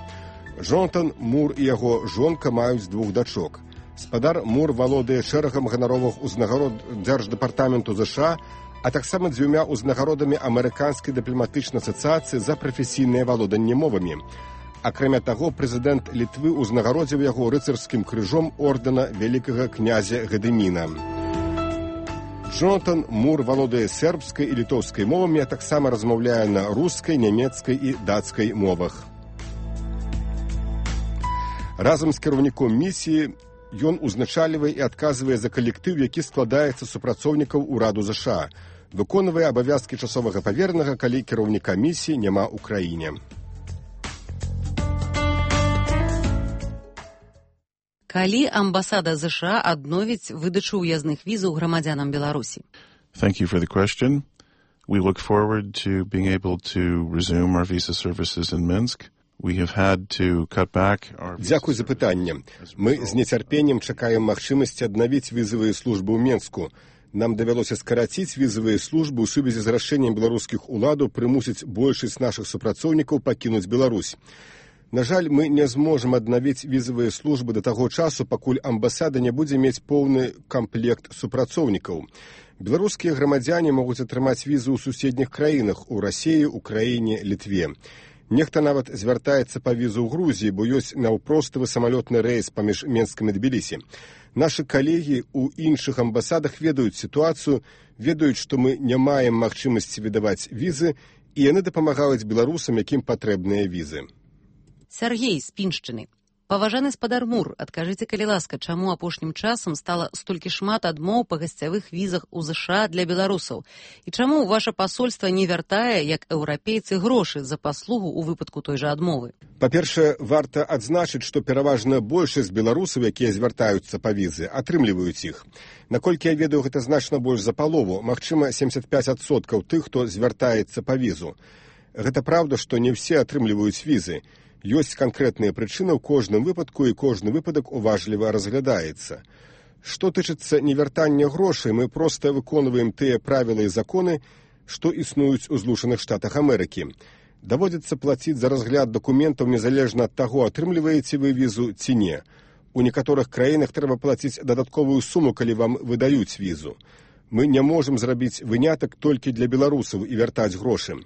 Джонатан Мур і яго жонка маюць 2 дачок. Спадар Мур валодае шэрагам ганаровых узнагарод Дзярждэпартаменту ЗША, а таксама 2 узнагародамі Амерыканскай дыпламатычнай асацыяцыі за прафесійнае валоданне мовамі. Акрамя таго, прэзідэнт Літвы ўзнагародзіў яго рыцарскім крыжом ордэна вялікага князя Гадыміна. Джонатан Мур валодае сербскай і літоўскай мовамі, а таксама размаўляе на рускай, нямецкай і дацкай мовах. Разам з кіраўніком місіі ён узначальвае і адказвае за калектыў, які складаецца з супрацоўнікаў ураду ЗША, выконвае абавязкі часовага паверанага, калі кіраўніка місіі няма ў краіне. Калі амбасада ЗША адновіць выдачу ўязных візаў грамадзянам Беларусі? Thank you for the question. We look forward to being able to resume our visa services in Minsk. We have had to cut back our... Дзякуй за пытанне. Мы з нецярпеннем чакаем магчымасці аднавіць візавыя службы ў Менску. Нам давялося скараціць візавыя службы ў сувязі з рашэннем беларускіх уладаў прымусіць большасць нашых супрацоўнікаў пакінуць Беларусь. На жаль, мы не зможам аднавіць візавыя службы да таго часу, пакуль амбасада не будзе мець поўны камплект супрацоўнікаў. Беларускія грамадзяне могуць атрымаць візы ў суседніх краінах, у Расіі, Украіне, Літве. Нехта нават звяртаецца па візу ў Грузіі, бо ёсць наўпростывы самалётны рэйс паміж Менскам і Тбілісі. Нашы калегі ў іншых амбасадах ведаюць сітуацыю, ведаюць, што мы не маем магчымасці выдаваць візы, і яны дапамагаюць беларусам, якім патрэбныя візы. Сергей з Піншчыны. Паважаны спадар Мур, адкажыце, калі ласка, чаму апошнім часам стала столькі шмат адмоў па гасцявых візах у ЗША для беларусаў? І чаму ваша пасольства не вяртае, як еўрапейцы, грошы за паслугу ў выпадку той жа адмовы? Па-першае, варта адзначыць, што пераважна большасць беларусаў, якія звяртаюцца па візы, атрымліваюць іх. Наколькі я ведаю, гэта значна больш за палову, магчыма, 75% тых, хто звяртаецца па візу. Гэта праўда, што не ўсе атрымліваюць візы. Ёсць канкрэтныя прычыны ў кожным выпадку, і кожны выпадак уважліва разглядаецца. Што тычыцца невяртання грошай, мы проста выконваем тыя правілы і законы, што існуюць у Злучаных Штатах Амерыкі. Даводзіцца плаціць за разгляд дакументаў незалежна ад таго, атрымліваеце вы візу ці не. У некаторых краінах трэба плаціць дадатковую суму, калі вам выдаюць візу. Мы не можам зрабіць вынятак толькі для беларусаў і вяртаць грошы.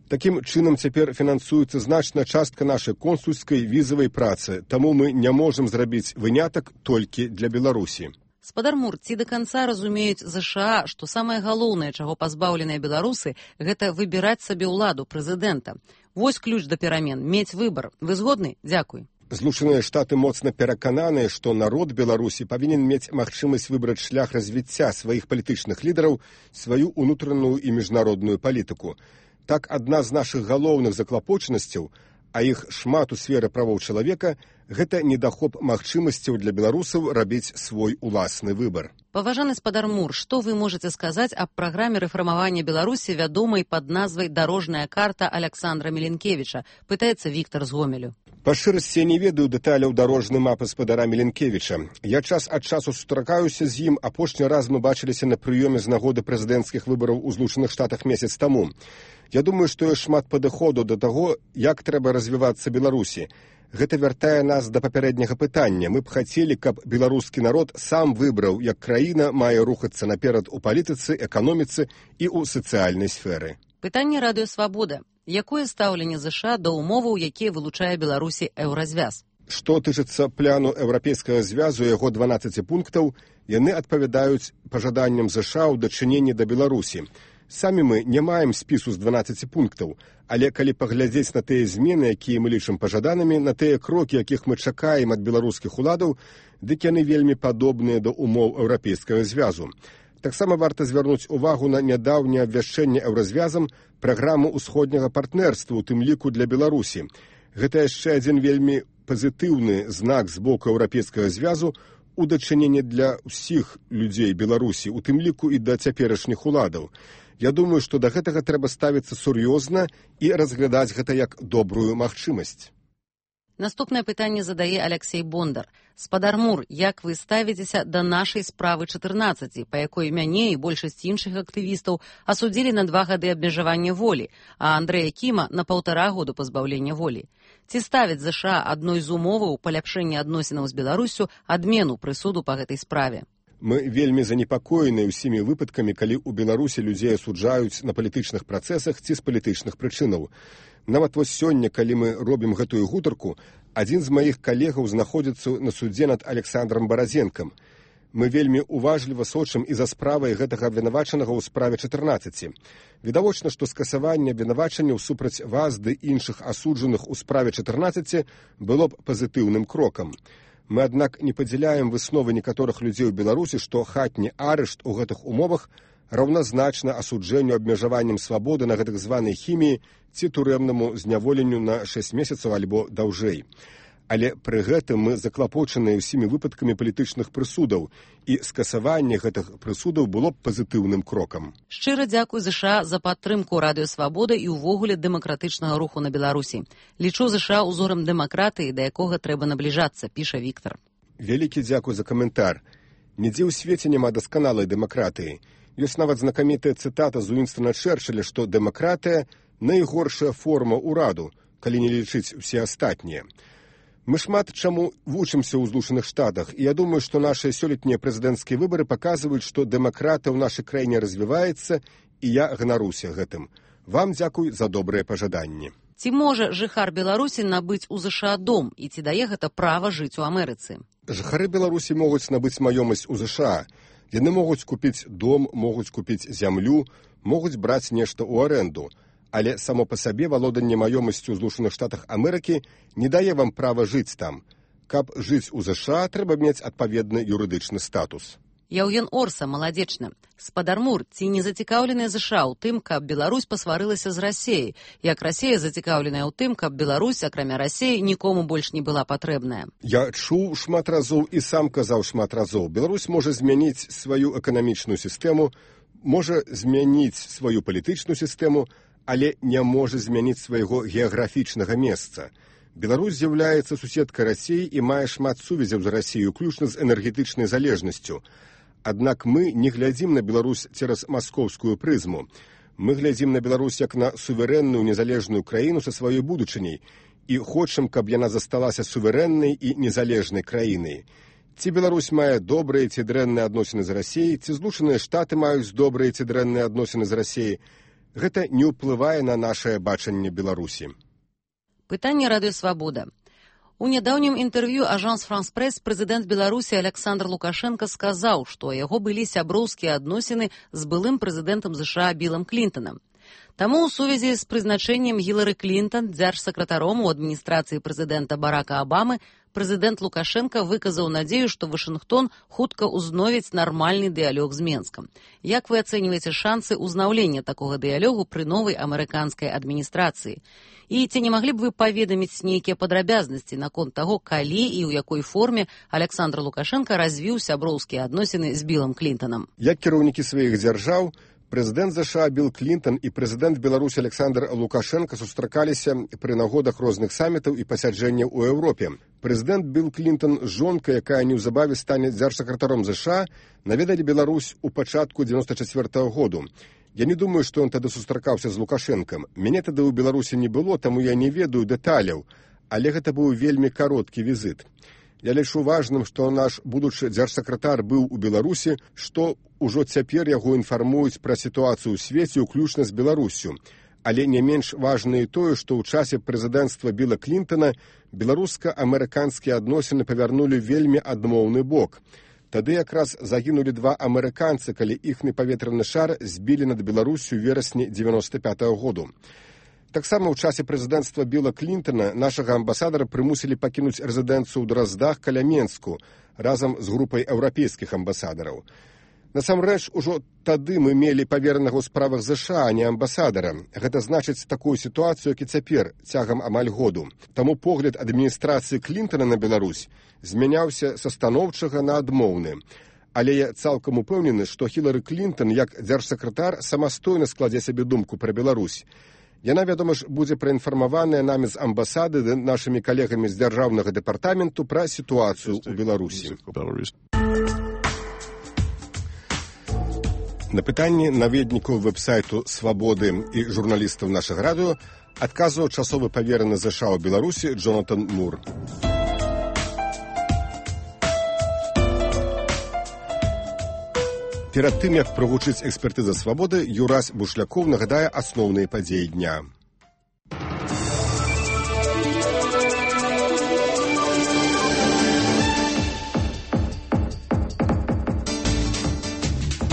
Такім чынам цяпер фінансуецца значная частка нашай консульскай візавай працы, таму мы не можам зрабіць вынятак толькі для Беларусі. Спадар Мур, ці да канца разумеюць ЗША, што самае галоўнае, чаго пазбаўленыя беларусы, гэта выбіраць сабе ўладу прэзідэнта. Вось ключ да перамен, мець выбар. Вы згодны? Дзякуй. Злучаныя Штаты моцна перакананыя, што народ Беларусі павінен мець магчымасць выбраць шлях развіцця сваіх палітычных лідараў, сваю ўнутраную і міжнародную палітыку. Так, адна з нашых галоўных заклапочанасцяў, а іх шмат у сферы правоў чалавека, гэта недахоп магчымасцяў для беларусаў рабіць свой уласны выбар. Паважаны спадар Мур, што вы можаце сказаць аб праграме рэфармавання Беларусі, вядомай пад назвай «Дарожная карта» Аляксандра Міленкевіча, пытаецца Віктар з Гомелю. Па шчырасці я не ведаю дэталяў дарожнай мапы спадара Міленкевіча. Я час ад часу сустракаюся з ім, апошні раз мы бачыліся на прыёме з нагоды прэзідэнцкіх выбараў у Злучаных Штатах месяц таму. Я думаю, што ёсць шмат падыходу да таго, як трэба развівацца Беларусі. Гэта вяртае нас да папярэдняга пытання. Мы б хацелі, каб беларускі народ сам выбраў, як краіна мае рухацца наперад у палітыцы, эканоміцы і ў сацыяльнай сферы. Пытанне Радыё Свабода. Якое стаўленне ЗША да ўмоваў, якія вылучае Беларусі еўразвяз? Што тычыцца пляну Еўрапейскага звязу, яго 12 пунктаў, яны адпавядаюць пажаданням ЗША ў дачыненні да Беларусі. Самі мы не маем спісу з 12 пунктаў, але калі паглядзець на тыя змены, якія мы лічым пажаданымі, на тыя крокі, якіх мы чакаем ад беларускіх уладаў, дык яны вельмі падобныя да умоў Еўрапейскага звязу. Таксама варта звярнуць увагу на нядаўняе абвяшчэнне Еўразвязам праграму ўсходняга партнерства, у тым ліку для Беларусі. Гэта яшчэ адзін вельмі пазітыўны знак з боку Еўрапейскага звязу у дачыненні для ўсіх людзей Беларусі, у тым ліку і да цяперашніх уладаў. Я думаю, што да гэтага трэба ставіцца сур'ёзна і разглядаць гэта як добрую магчымасць. Наступнае пытанне задае Алексей Бондар. Спадар Мур, як вы ставіцеся да нашай справы 14, па якой мяне і большасць іншых актывістаў асудзілі на 2 гады абмежавання волі, а Андрэя Кіма на 1,5 году пазбаўлення волі? Ці ставяць ЗША адной з умоваў паляпшэння адносінаў з Беларусю адмену прысуду па гэтай справе? Мы вельмі занепакоеныя ўсімі выпадкамі, калі ў Беларусі людзей асуджаюць на палітычных працэсах ці з палітычных прычынаў. Нават вось сёння, калі мы робім гэтую гутарку, адзін з маіх калегаў знаходзіцца на судзе над Александром Баразенкам. Мы вельмі уважліва сочым і за справай гэтага абвінавачанага ў справе 14. Відавочна, што скасаванне абвінавачанняў супраць вас ды іншых асуджаных у справе 14 было б пазітыўным крокам. Мы, аднак, не падзяляем высновы некаторых людзей у Беларусі, што хатні арышт у гэтых умовах раўназначна асуджэнню абмежаваннем свабоды на гэтых званай хіміі ці турэмнаму зняволенню на 6 месяцаў альбо даўжэй. Але пры гэтым мы заклапочаныя ўсімі выпадкамі палітычных прысудаў, і скасаванне гэтых прысудаў было б пазітыўным крокам. Шчыра дзякуй ЗША за падтрымку Радыё Свабода і ўвогуле дэмакратычнага руху на Беларусі. Лічу ЗША ўзорам дэмакратыі, да якога трэба набліжацца, піша Віктар. Вялікі дзякуй за каментар. Нідзе ў свеце няма дасканалай дэмакратыі. Ёсць нават знакамітая цытата з Уінстона Чэрчылля, што дэмакратыя – найгоршая форма ўраду, калі не лічыць усе астатнія. Мы шмат чаму вучымся ў Злучаных Штатах, і я думаю, што нашыя сёлетнія прэзідэнцкія выбары паказваюць, што дэмакратыя ў нашай краіне развіваецца, і я ганаруся гэтым. Вам дзякуй за добрыя пажаданні. Ці можа жыхар Беларусі набыць у ЗША дом, і ці дае гэта права жыць у Амерыцы? Жыхары Беларусі могуць набыць маёмасць у ЗША. Яны могуць купіць дом, могуць купіць зямлю, могуць браць нешта ў арэнду. Але само па сабе валоданне маёмасцю ў Злучаных Штатах Амерыкі не дае вам права жыць там. Каб жыць у ЗША, трэба мець адпаведны юрыдычны статус. Яўген Орса, маладзечна. Спадар Мур, ці не зацікаўленыя ЗША ў тым, каб Беларусь пасварылася з Расеяй, як Расея зацікаўленая ў тым, каб Беларусь, акрамя Расеі, нікому больш не была патрэбная? Я чуў шмат разоў і сам казаў шмат разоў. Беларусь можа змяніць сваю эканамічную сістэму, можа змяніць сваю палітычную сістэму, але не можа змяніць свайго геаграфічнага месца. Беларусь з'яўляецца суседкай Расіі і мае шмат сувязяў з Расіяй, уключна з энергетычнай залежнасцю. Аднак мы не глядзім на Беларусь цераз маскоўскую прызму. Мы глядзім на Беларусь як на суверэнную незалежную краіну са сваёй будучыняй і хочам, каб яна засталася суверэннай і незалежнай краінай. Ці Беларусь мае добрыя ці дрэнныя адносіны з Расіяй, ці Злучаныя Штаты маюць добрыя ці дрэнныя адносіны з Расіяй, гэта не ўплывае на нашае бачанне Беларусі. Пытанне Радыё Свабода. У нядаўнім інтэрв'ю Ажанс Франс Прэс прэзідэнт Беларусі Александр Лукашенко сказаў, што у яго былі сяброўскія адносіны з былым прэзідэнтам ЗША Білам Клінтанам. Таму ў сувязі з прызначэннем Гілары Клінтан дзяржсакратаром у адміністрацыі прэзідэнта Барака Абамы прэзідэнт Лукашенко выказаў надзею, што Вашынгтон хутка ўзновіць нармальны дыялог з Менскам. Як вы ацэньваеце шансы ўзнаўлення такога дыялогу пры новай амерыканскай адміністрацыі? І ці не маглі б вы паведаміць нейкія падрабязнасці наконт таго, калі і ў якой форме Александр Лукашенко развіў сяброўскія адносіны з Білам Клінтанам? Як кіраўнікі сваіх дзяржаў, прэзідэнт ЗША Біл Клінтан і прэзідэнт Беларусі Александр Лукашенко сустракаліся пры нагодах розных самітаў і пасяджэнняў у Еўропе. Прэзідэнт Біл Клінтан з жонкай, якая неўзабаве стане дзяржсакратаром ЗША, наведалі Беларусь у пачатку 94-го году. Я не думаю, што ён тады сустракаўся з Лукашэнкам. Мяне тады ў Беларусі не было, таму я не ведаю дэталяў, але гэта быў вельмі кароткі візіт. Я лічу важным, што наш будучы дзяржсакратар быў у Беларусі, што ўжо цяпер яго інфармуюць пра сітуацыю ў свеце, уключна з Беларуссю. Але не менш важна і тое, што ў часе прэзідэнцтва Біла Клінтана беларуска-амерыканскія адносіны павярнулі вельмі адмоўны бок. Тады якраз загінулі 2 амерыканцы, калі іхны паветраны шар збілі над Беларусю ў верасні 95-го году. Таксама ў часе прэзідэнцтва Білла Клінтона нашага амбасадара прымусілі пакінуць рэзідэнцыю ў Драздах каля Менску разам з групай еўрапейскіх амбасадараў. Насамрэч, ужо тады мы мелі паверанага ў справах ЗША, а не амбасадара. Гэта значыць такую сітуацыю, як і цяпер, цягам амаль году. Таму погляд адміністрацыі Клінтона на Беларусь змяняўся са станоўчага на адмоўны. Але я цалкам упэўнены, што Хілары Клінтон, як дзяржсакратар, самастойна складзе сабе думку пра Беларусь. Яна, вядома ж, будзе праінфармаваная намі з амбасады ды нашымі калегамі з дзяржаўнага дэпартаменту пра сітуацыю ў Беларусі. На пытанні наведнікаў вэб-сайту «Свабоды» і журналістаў нашага радыё адказваў часовы павераны ЗША ў Беларусі Джонатан Мур. Перад тым, як прагучыць экспертыза «Свабоды», Юрась Бушлякоў нагадае асноўныя падзеі дня.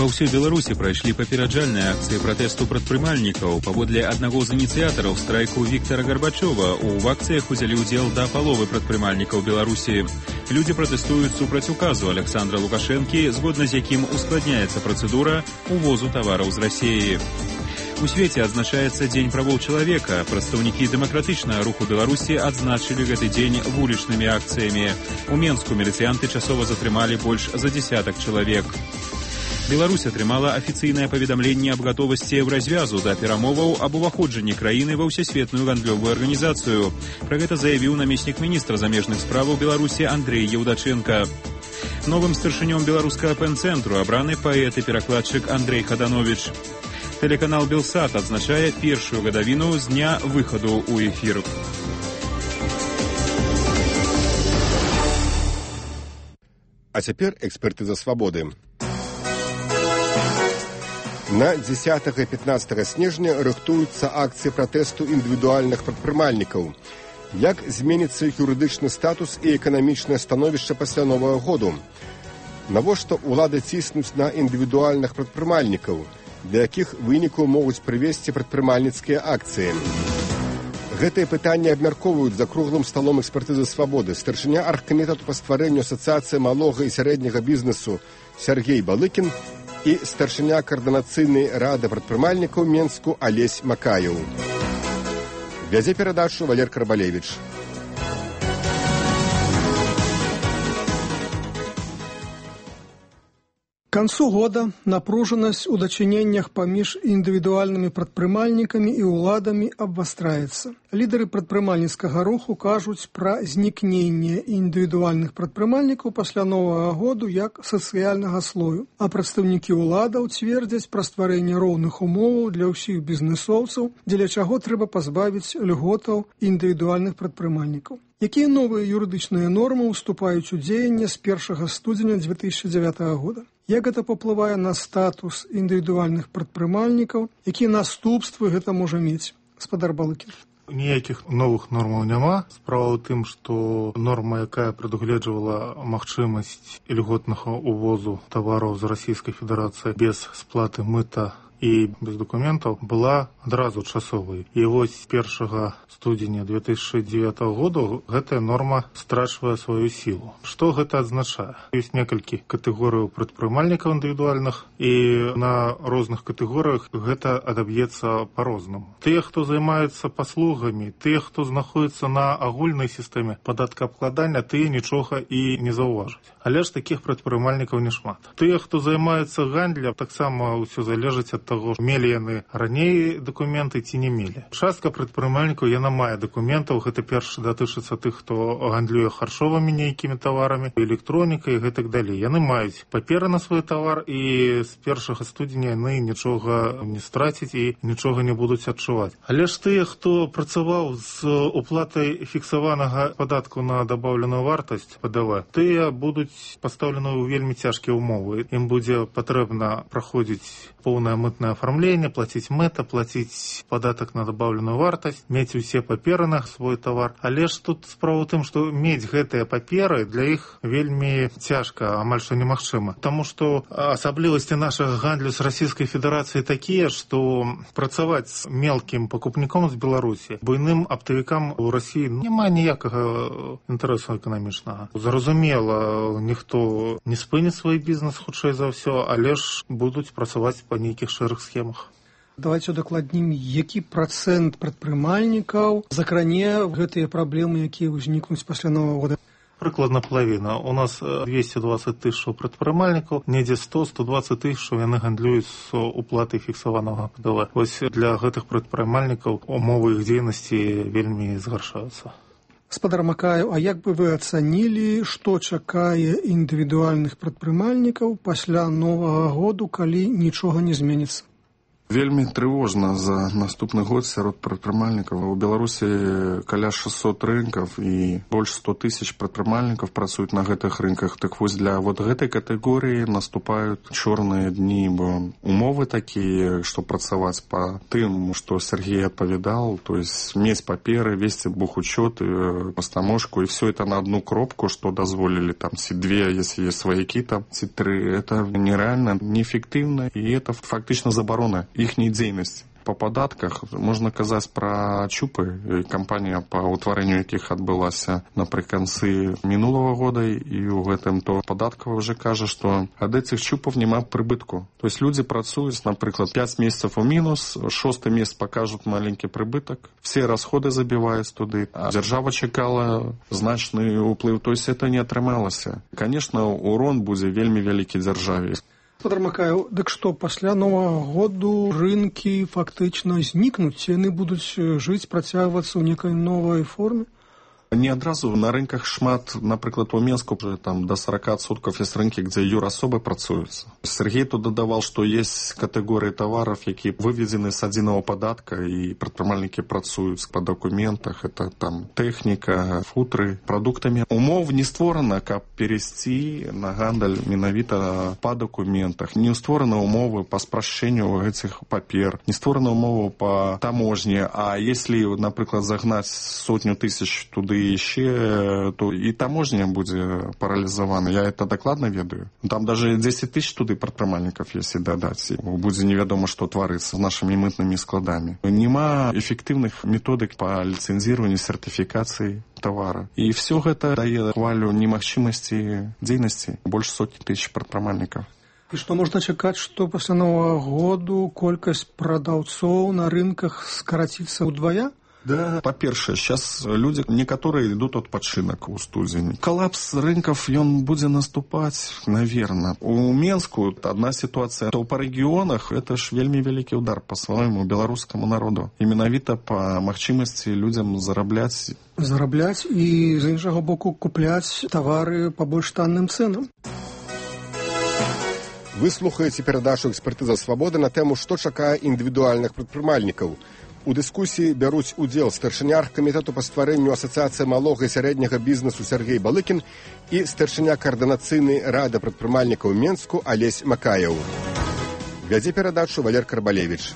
Па ўсёй Беларусі прайшлі папераджальныя акцыі пратэсту прадпрымальнікаў. Паводле аднаго з ініцыятараў страйку Віктара Гарбачова, у акцыях узялі ўдзел да паловы прадпрымальнікаў Беларусі. Людзі пратэстуюць супраць указу Александра Лукашэнкі, згодна з якім ускладняецца працэдура увозу тавараў з Расіі. У свеце адзначаецца Дзень правоў чалавека. Прадстаўнікі дэмакратычнага руху Беларусі адзначылі гэты дзень вулічнымі акцыямі. У Менску міліцыянты часова затрымалі больш за 10 чалавек. Беларусь атрымала афіцыйнае паведамленне аб гатовасці развязу да перамоваў аб уваходжанні краіны ва ўсесветную гандлёвую арганізацыю. Пра гэта заявіў намеснік міністра замежных справаў Беларусі Андрэй Еўдачэнка. Новым старшынём беларускага пэн-цэнтру абраны паэт і перакладчык Андрэй Хаданович. Тэлеканал «Белсат» адзначае першую гадавіну з дня выхаду ў эфір. А цяпер экспертыза «Свабоды». На 10 і 15 снежня рыхтуюцца акцыі пратэсту індывідуальных прадпрымальнікаў. Як зменіцца іх юрыдычны статус і эканамічнае становішча пасля Новага году? Навошта ўлады ціснуць на індывідуальных прадпрымальнікаў, да якіх вынікаў могуць прывесці прадпрымальніцкія акцыі? Гэтыя пытанні абмяркоўваюць за круглым сталом экспертызы «Свабоды» старшыня аргкамітэту па стварэнню асацыяцыі малога і сярэдняга бізнесу Сергей Балыкін і старшыня каардынацыйнай рады прадпрымальнікаў Менску Алесь Макаеў. Вядзе перадачу Валер Карбалевіч. К концу года напружанность у дачыненнях паміж індывідуальнымі прадпрымальнікамі і ўладамі абвастраецца. Лідары прадпрымальніцкага руху кажуць пра знікненне індывідуальных прадпрымальнікаў пасля Новага году як сацыяльнага слою, а прадстаўнікі ўладаў цвердзяць пра стварэнне роўных умоваў для ўсіх бізнесоўцаў, дзеля чаго трэба пазбавіць льготаў індывідуальных прадпрымальнікаў. Якія новыя юрыдычныя нормы ўступаюць у дзеянне з 1 студзеня 2009 года? Як гэта паўплывае на статус індывідуальных прадпрымальнікаў? Якія наступствы гэта можа мець? Гаспадар Балыкін. Ніякіх новых нормаў няма. Справа ў тым, што норма, якая прадугледжвала магчымасць льготнага увозу тавараў з Расійскай Федэрацыі без сплаты мыта і без дакументаў, была адразу часовай. І вось 1 студзеня 2009 года гэтая норма страчвае сваю сілу. Што гэта азначае? Ёсць некалькі катэгорыяў прадпрымальнікаў індывідуальных, і на розных катэгорыях гэта адаб'ецца па-рознаму. Тыя, хто займаецца паслугамі, тыя, хто знаходзіцца на агульнай сістэме падаткаабкладання, тыя нічога і не заўважаць. Але ж такіх прадпрымальнікаў нешмат. Тыя, хто займаецца гандлем, таксама ўсё залежыць ад таго, мелі яны раней дакументы ці не мелі. Частка прадпрымальнікаў яна мае дакументаў, гэта перш датычыцца тых, хто гандлюе харчовымі нейкімі таварамі, электронікай і гэтак далей. Яны маюць паперы на свой тавар, і з 1 студзеня яны нічога не страцяць і нічога не будуць адчуваць. Але ж тыя, хто працаваў з уплатай фіксаванага падатку на дабаўленую вартасць ПДВ, тыя будуць пастаўлены ў вельмі цяжкія ўмовы. Ім будзе патрэбна праходзіць поўнае мытнае дакументное оформление, платить мыта, платить податок на добавленную вартость, мець усе паперы на свой товар. Але ж тут справа ў тым, што мець гэтыя паперы для іх вельмі цяжка, амаль што немагчыма. Таму што асаблівасці нашага гандлю з Расійскай Федэрацыі такія, што працаваць з мелкім пакупніком з Беларусі буйным аптавікам у Расіі няма ніякага інтарэсу эканамічнага. Зразумела, ніхто не спыніць свой бізнес хутчэй за ўсё, але ж будуць працаваць па нейкіх шэрых схемах. Давайте удакладнім, які працэнт прадпрымальнікаў закране гэтыя праблемы, якія ўзнікнуць пасля Новага года. Прыкладна палавіна. У нас 220 тысяч прадпрымальнікаў, недзе 100-120 тысяч яны гандлююць з уплатай фіксаванага ПДВ. Вось для гэтых прадпрымальнікаў умовы іх дзейнасці вельмі згаршаюцца. Гаспадар Макаев, а як бы вы ацанілі, што чакае індывідуальных прадпрымальнікаў пасля Новага году, калі нічога не зменіцца? Вельмі трывожна за наступны год сярод прадпрымальнікаў. У Беларусі каля 600 рынкаў і больш 100 тысяч прадпрымальнікаў працуюць на гэтых рынках. Так вось для вот гэтай катэгорыі наступаюць чорныя дні, бо умовы такія, што працаваць па тым, што Сергей адпавядал, то есть мець паперы, весці бухучёт, пастамошку, і все это на одну кропку, што дазволілі там ці две, если есть сваякі, там ці тры. Это нереально, неэффектыўна, і это фактычна забарона іхняй дзейнасці. Па падатках можна казаць пра чупы, кампанія па ўтварэнню якіх адбылася напрыканцы мінулага года, і ў гэтым то падаткава ўжо кажа, што ад этих чупаў няма прыбытку. То есть людзі працуюць, напрыклад, 5 месяцаў у мінус, 6 месяц пакажуць маленькі прыбытак, все расходы забіваюць туды, а дзяржава чакала значны ўплыў, то есть это не атрымалася. Конечно, урон будзе вельмі вялікі дзяржаве. Гаспадар Макаев, дык што, пасля Новага году рынкі фактычна знікнуць, яны будуць жыць, працягвацца ў некай новай форме? Не адразу на рынках шмат, напрыклад, у Менску там до 40% есть рынкі, дзе юрасобы працуюцца. Сергей тут дадавал, што есть катэгорыі таваров, якія выведзены з адзінага падатка, і прадпрымальнікі працуюць па дакументах, это там тэхніка, футры, прадуктамі. Умов не створана, каб перейсці на гандаль менавіта па дакументах. Не створаны умовы па спрашчэнню гэтых папер, не створаны умовы па таможні, а если, напрыклад, загнаць 100 тысяч туды еще, то и таможня будет парализована. Я это докладно ведаю. Там даже 10 тысяч туды прадпрымальнікаў, если дадать. Будет неведомо, что творится с нашими мытными складами. Нема эффективных методик по лицензированию, сертификации товара. И все это дает хвалю немагчымасці дзейнасці больше 100 тысяч прадпрымальнікаў. І што можна чакаць, што пасля Новага году колькасць прадаўцоў на рынках скараціцца ўдвая? Да, по-першае, сейчас люди некоторые идут адпачынак у студзені. Коллапс рынков, он будет наступать, наверное. У Менску одна ситуация, то по регионах это ж вельмі вялікі удар по своему белорусскому народу. И менавіта по магчымасці людям зарабляць. Зарабляць і, з іншага боку, купляць тавары по больш танным цэнам. Вы слухаеце перадачу «Экспертыза свабоды» на тэму, што чакае індывідуальных прадпрымальнікаў. У дыскусіі бяруць удзел старшыня аргкамітэту па стварэнню асацыяцыі малога і сярэдняга бізнесу Сергей Балыкін і старшыня каардынацыйнай рады прадпрымальнікаў Менску Алесь Макаев. Вядзе перадачу Валер Карбалевіч.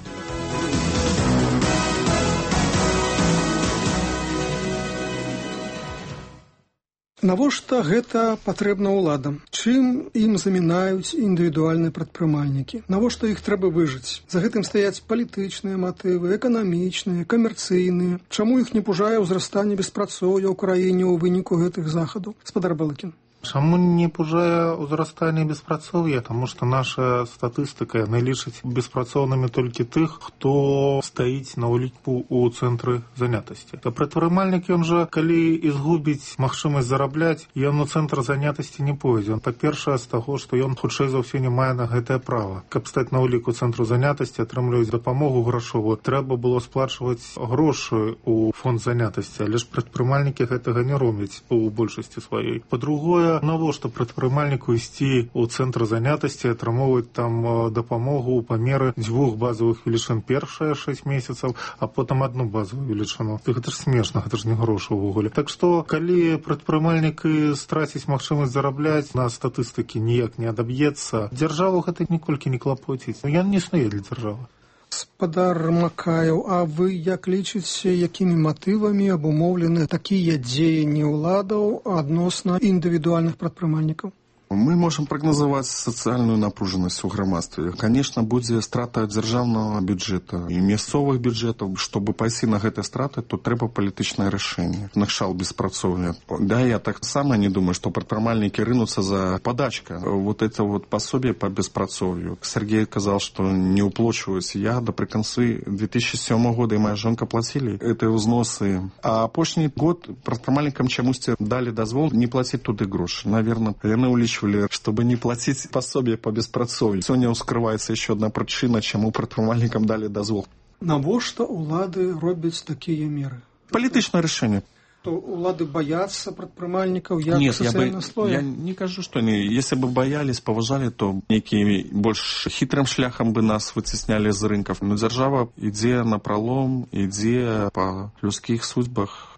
Навошта гэта патрэбна ўладам? Чым ім замінаюць індывідуальныя прадпрымальнікі? Навошта іх трэба выжыць? За гэтым стаяць палітычныя матывы, эканамічныя, камерцыйныя. Чаму іх не пужае ўзрастанне беспрацоўя ў краіне ў выніку гэтых захадаў? Гаспадар Балыкін. Чаму не пужае ўзрастанне беспрацоўя? Таму што наша статыстыка яны лічаць беспрацоўнымі толькі тых, хто стаіць на ўліку ў цэнтры занятасці. Прадпрымальнік, ён жа, калі і згубіць магчымасць зарабляць, ён у цэнтр занятасці не пойдзе. Па-першае, з таго, што ён хутчэй за ўсё не мае на гэтае права. Каб стаць на ўліку цэнтру занятасці, атрымліваць дапамогу грашовую, трэба было сплачваць грошы ў фонд занятасці, але ж прадпрымальнікі гэтага не робяць у большасці сваёй. Па-другое, Па-другое, навошта прадпрымальніку ісці ў цэнтр занятасці, атрымоўваць там дапамогу ў памеры 2 базовых велічын першыя 6 месяцаў, а потым 1 базовую велічыну. Гэта ж смешна, гэта ж не грошы ўвогуле. Так што, калі прадпрымальнік страціць магчымасць зарабляць, на статыстыкі ніяк не адаб'ецца, дзяржаву гэта ніколькі не клапоціць. Ён не існуе для дзяржавы. Спадар Макаеў, а вы як лічыце, якімі матывамі абумоўлены такія дзеянні ўладаў адносна індывідуальных прадпрымальнікаў? Мы можам прагназаваць сацыяльную напружанасць у грамадстве. Конечно, будзе страта дзяржаўнага бюджэта і мясцовых бюджэтаў. Чтобы пайсці на гэтыя страты, то трэба палітычнае рашэнне. Накшал беспрацоўя. Да, я так само не думаю, што прадпрымальнікі рынуцца за падачка. Вот это вот пособие по беспрацоўю. Сергей казал, что не уплачиваюсь. Я напрыканцы 2007 года и моя жонка платили эти узносы. А апошні год прадпрымальнікам чамусьці далі дазвол не платіць туды грошы. Наверное, яны улічваюць, чтобы не платить пособие по беспрацоўю. Сегодня ускрывается еще одна причина, чему прадпрымальнікам дали дозвол. Навошта улады робяць такія меры? Палітычнае рашэнне. То улады боятся прадпрымальнікаў як сацыяльнага слоя? Я не кажу, что они, если бы боялись, поважали, то некий больш хитрым шляхам бы нас выцесняли з рынков. Но дзяржава ідзе на пролом, ідзе по людских судьбах.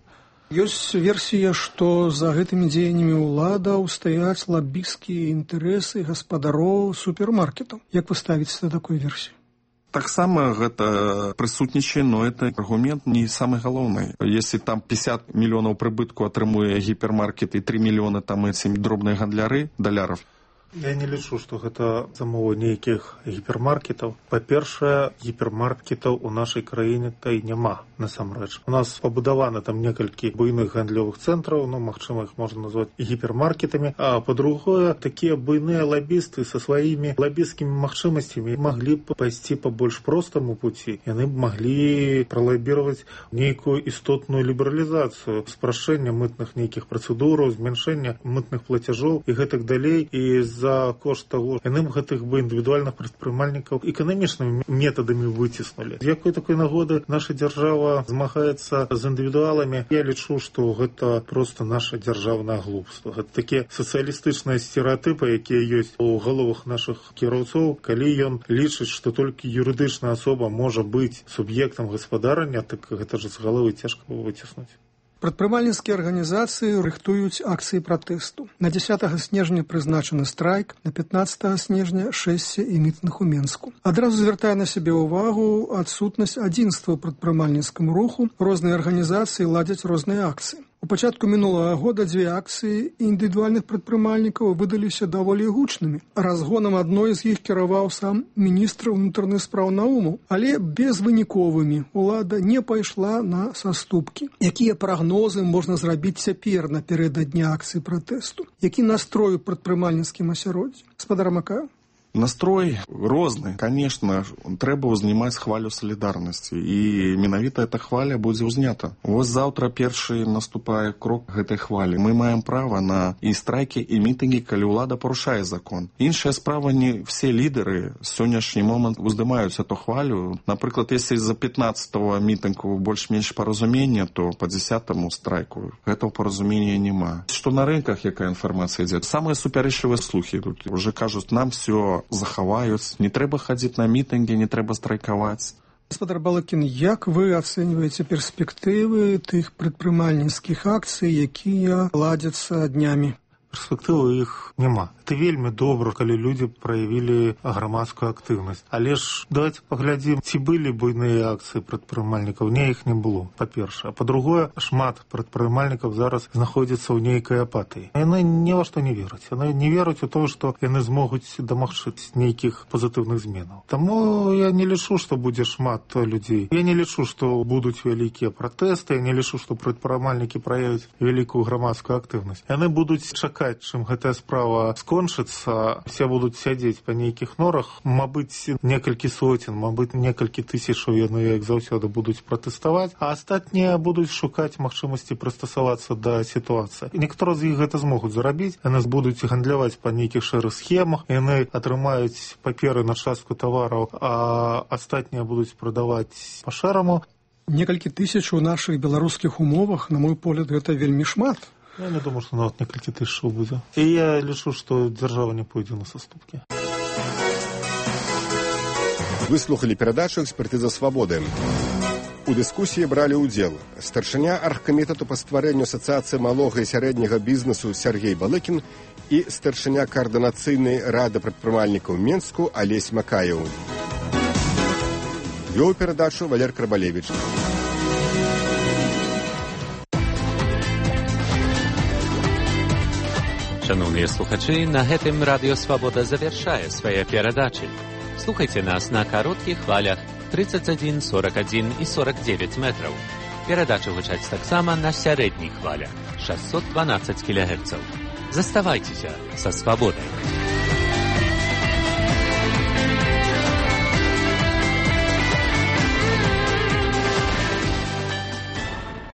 Ёсць версія, што за гэтымі дзеяннямі ўладаў стаяць лабісцкія інтарэсы гаспадароў супермаркетаў. Як вы ставіце да такой версіі? Таксама гэта прысутнічае, но это аргумент не самый галоўны. Если там 50 мільёнаў прыбытку атрымуе гіпермаркет і 3 мільёны там эти дробныя гандляры даляров, я не лічу, што гэта замова нейкіх гіпермаркетаў. Па-першае, гіпермаркетаў у нашай краіне та і няма, насамрэч. У нас пабудаваны там некалькі буйных гандлёвых цэнтраў, ну, магчыма, іх можна назваць гіпермаркетамі. А па-другое, такія буйныя лабісты са сваімі лабісцкімі магчымасцямі маглі б пайсці па больш простаму пуці. Яны б маглі пралабіраваць нейкую істотную лібералізацыю, спрашчэння мытных нейкіх працэдураў, змяншэння мытных плацяжоў і гэтак далей. І за кошт того, яны б гэтых бы індывідуальных прадпрымальнікаў эканамічнымі метадамі выціснулі. З якой такой нагоды наша дзяржава змагаецца з індывідуаламі? Я лічу, што гэта проста наша дзяржаўнае глупства. Гэта такія сацыялістычныя стэрэатыпы, якія ёсць у галовах нашых кіроўцоў. Калі ён лічыць, што толькі юрыдычная асоба можа быць суб'ектам гаспадарання, так гэта ж з галовы цяжка выціснуць. Прадпрымальніцкія арганізацыі рыхтуюць акцыі пратэсту. На 10 снежня прызначаны страйк, на 15 снежня шэсце і мітынг у Менску. Адразу звяртае на сябе ўвагу адсутнасць адзінства ў прадпрымальніцкім руху. Розныя арганізацыі ладзяць розныя акцыі. У пачатку мінулага года 2 акцыі індывідуальных прадпрымальнікаў выдаліся даволі гучнымі. Разгонам адной з іх кіраваў сам міністр унутраных спраў Наумаў, але безвыніковымі. Улада не пайшла на саступкі. Якія прагнозы можна зрабіць цяпер напярэдадні акцыі пратэсту? Які настрой у прадпрымальніцкім асяроддзі? Спадар Макаеў? Настрой розны. Конечно, трэба ўзнімаць хвалю салідарнасці, і менавіта эта хваля будзе ўзнята. Вось заўтра першы наступае крок гэтай хвалі. Мы маем права на і страйкі, і мітынгі, калі ўлада парушае закон. Іншая справа, не все лідары сённяшні момант уздымаюць эту хвалю. Напрыклад, если за 15-го мітынгу больш-менш паразумення, то по 10-му страйку гэтага паразумення няма. Што на рынках, якая інфармацыя ідзе? Самыя супярэчлівыя слухі тут уже кажуць, нам все захаваюць, не трэба хадзіць на мітынгі, не трэба страйкаваць. Гаспадар Балыкін, як вы ацэньваеце перспектывы тых прадпрымальніцкіх акцый, якія ладзяцца днямі? Перспектывы іх няма. Это вельмі добра, калі людзі праявілі грамадскую актыўнасць. Але ж давайте паглядзім, ці былі буйныя акцыі прадпрымальнікаў. Не, іх не было, па-першае. А па-другое, шмат прадпрымальнікаў зараз знаходзяцца ў нейкай апатыі. Яны ні ва што не вераць. Яны не вераць у тое, што яны змогуць дамагчыць нейкіх пазітыўных зменаў. Таму я не лічу, што будзе шмат людзей. Я не лічу, што будуць вялікія пратэсты. Я не лічу, што прадпрымальнікі праявяць вялікую грамадскую актыўнасць. Яны будуць чакаць, чым гэтая справа скончыцца, все будуць сядзець па нейкіх норах, мабыць, некалькі соцень, мабыць, некалькі тысячаў яны, як заўсёды, будуць пратэставаць, а астатнія будуць шукаць магчымасці прыстасавацца да сітуацыі. Некаторыя з іх гэта змогуць зарабіць, яны будуць гандляваць па нейкіх шэрых схемах, яны атрымаюць паперы на частку тавараў, а астатнія будуць прадаваць па шэраму. Некалькі тысяч у нашых беларускіх умовах, на мой погляд, гэта вельмі шмат. Я не думаю, што нават некалькі тысячаў будзе. І я лічу, што дзяржава не пойдзе на саступкі. Вы слухали перадачу «Экспертыза свабоды». У дыскусіі бралі ўдзел старшыня аргкамітэту па стварэнню асацыяцыі малога і сярэдняга бізнесу Сергей Балыкін і старшыня каардынацыйнай рады прадпрымальнікаў Менску Алесь Макаеў. Вёў перадачу Валер Крабалевіч. Шановныя слухачы, на гэтым Радыё Свабода завяршае свае перадачы. Слухайце нас на кароткіх хвалях 31, 41 і 49 метраў. Перадачы гучаць таксама на сярэдніх хвалях 612 кГц. Заставайцеся са свабодай.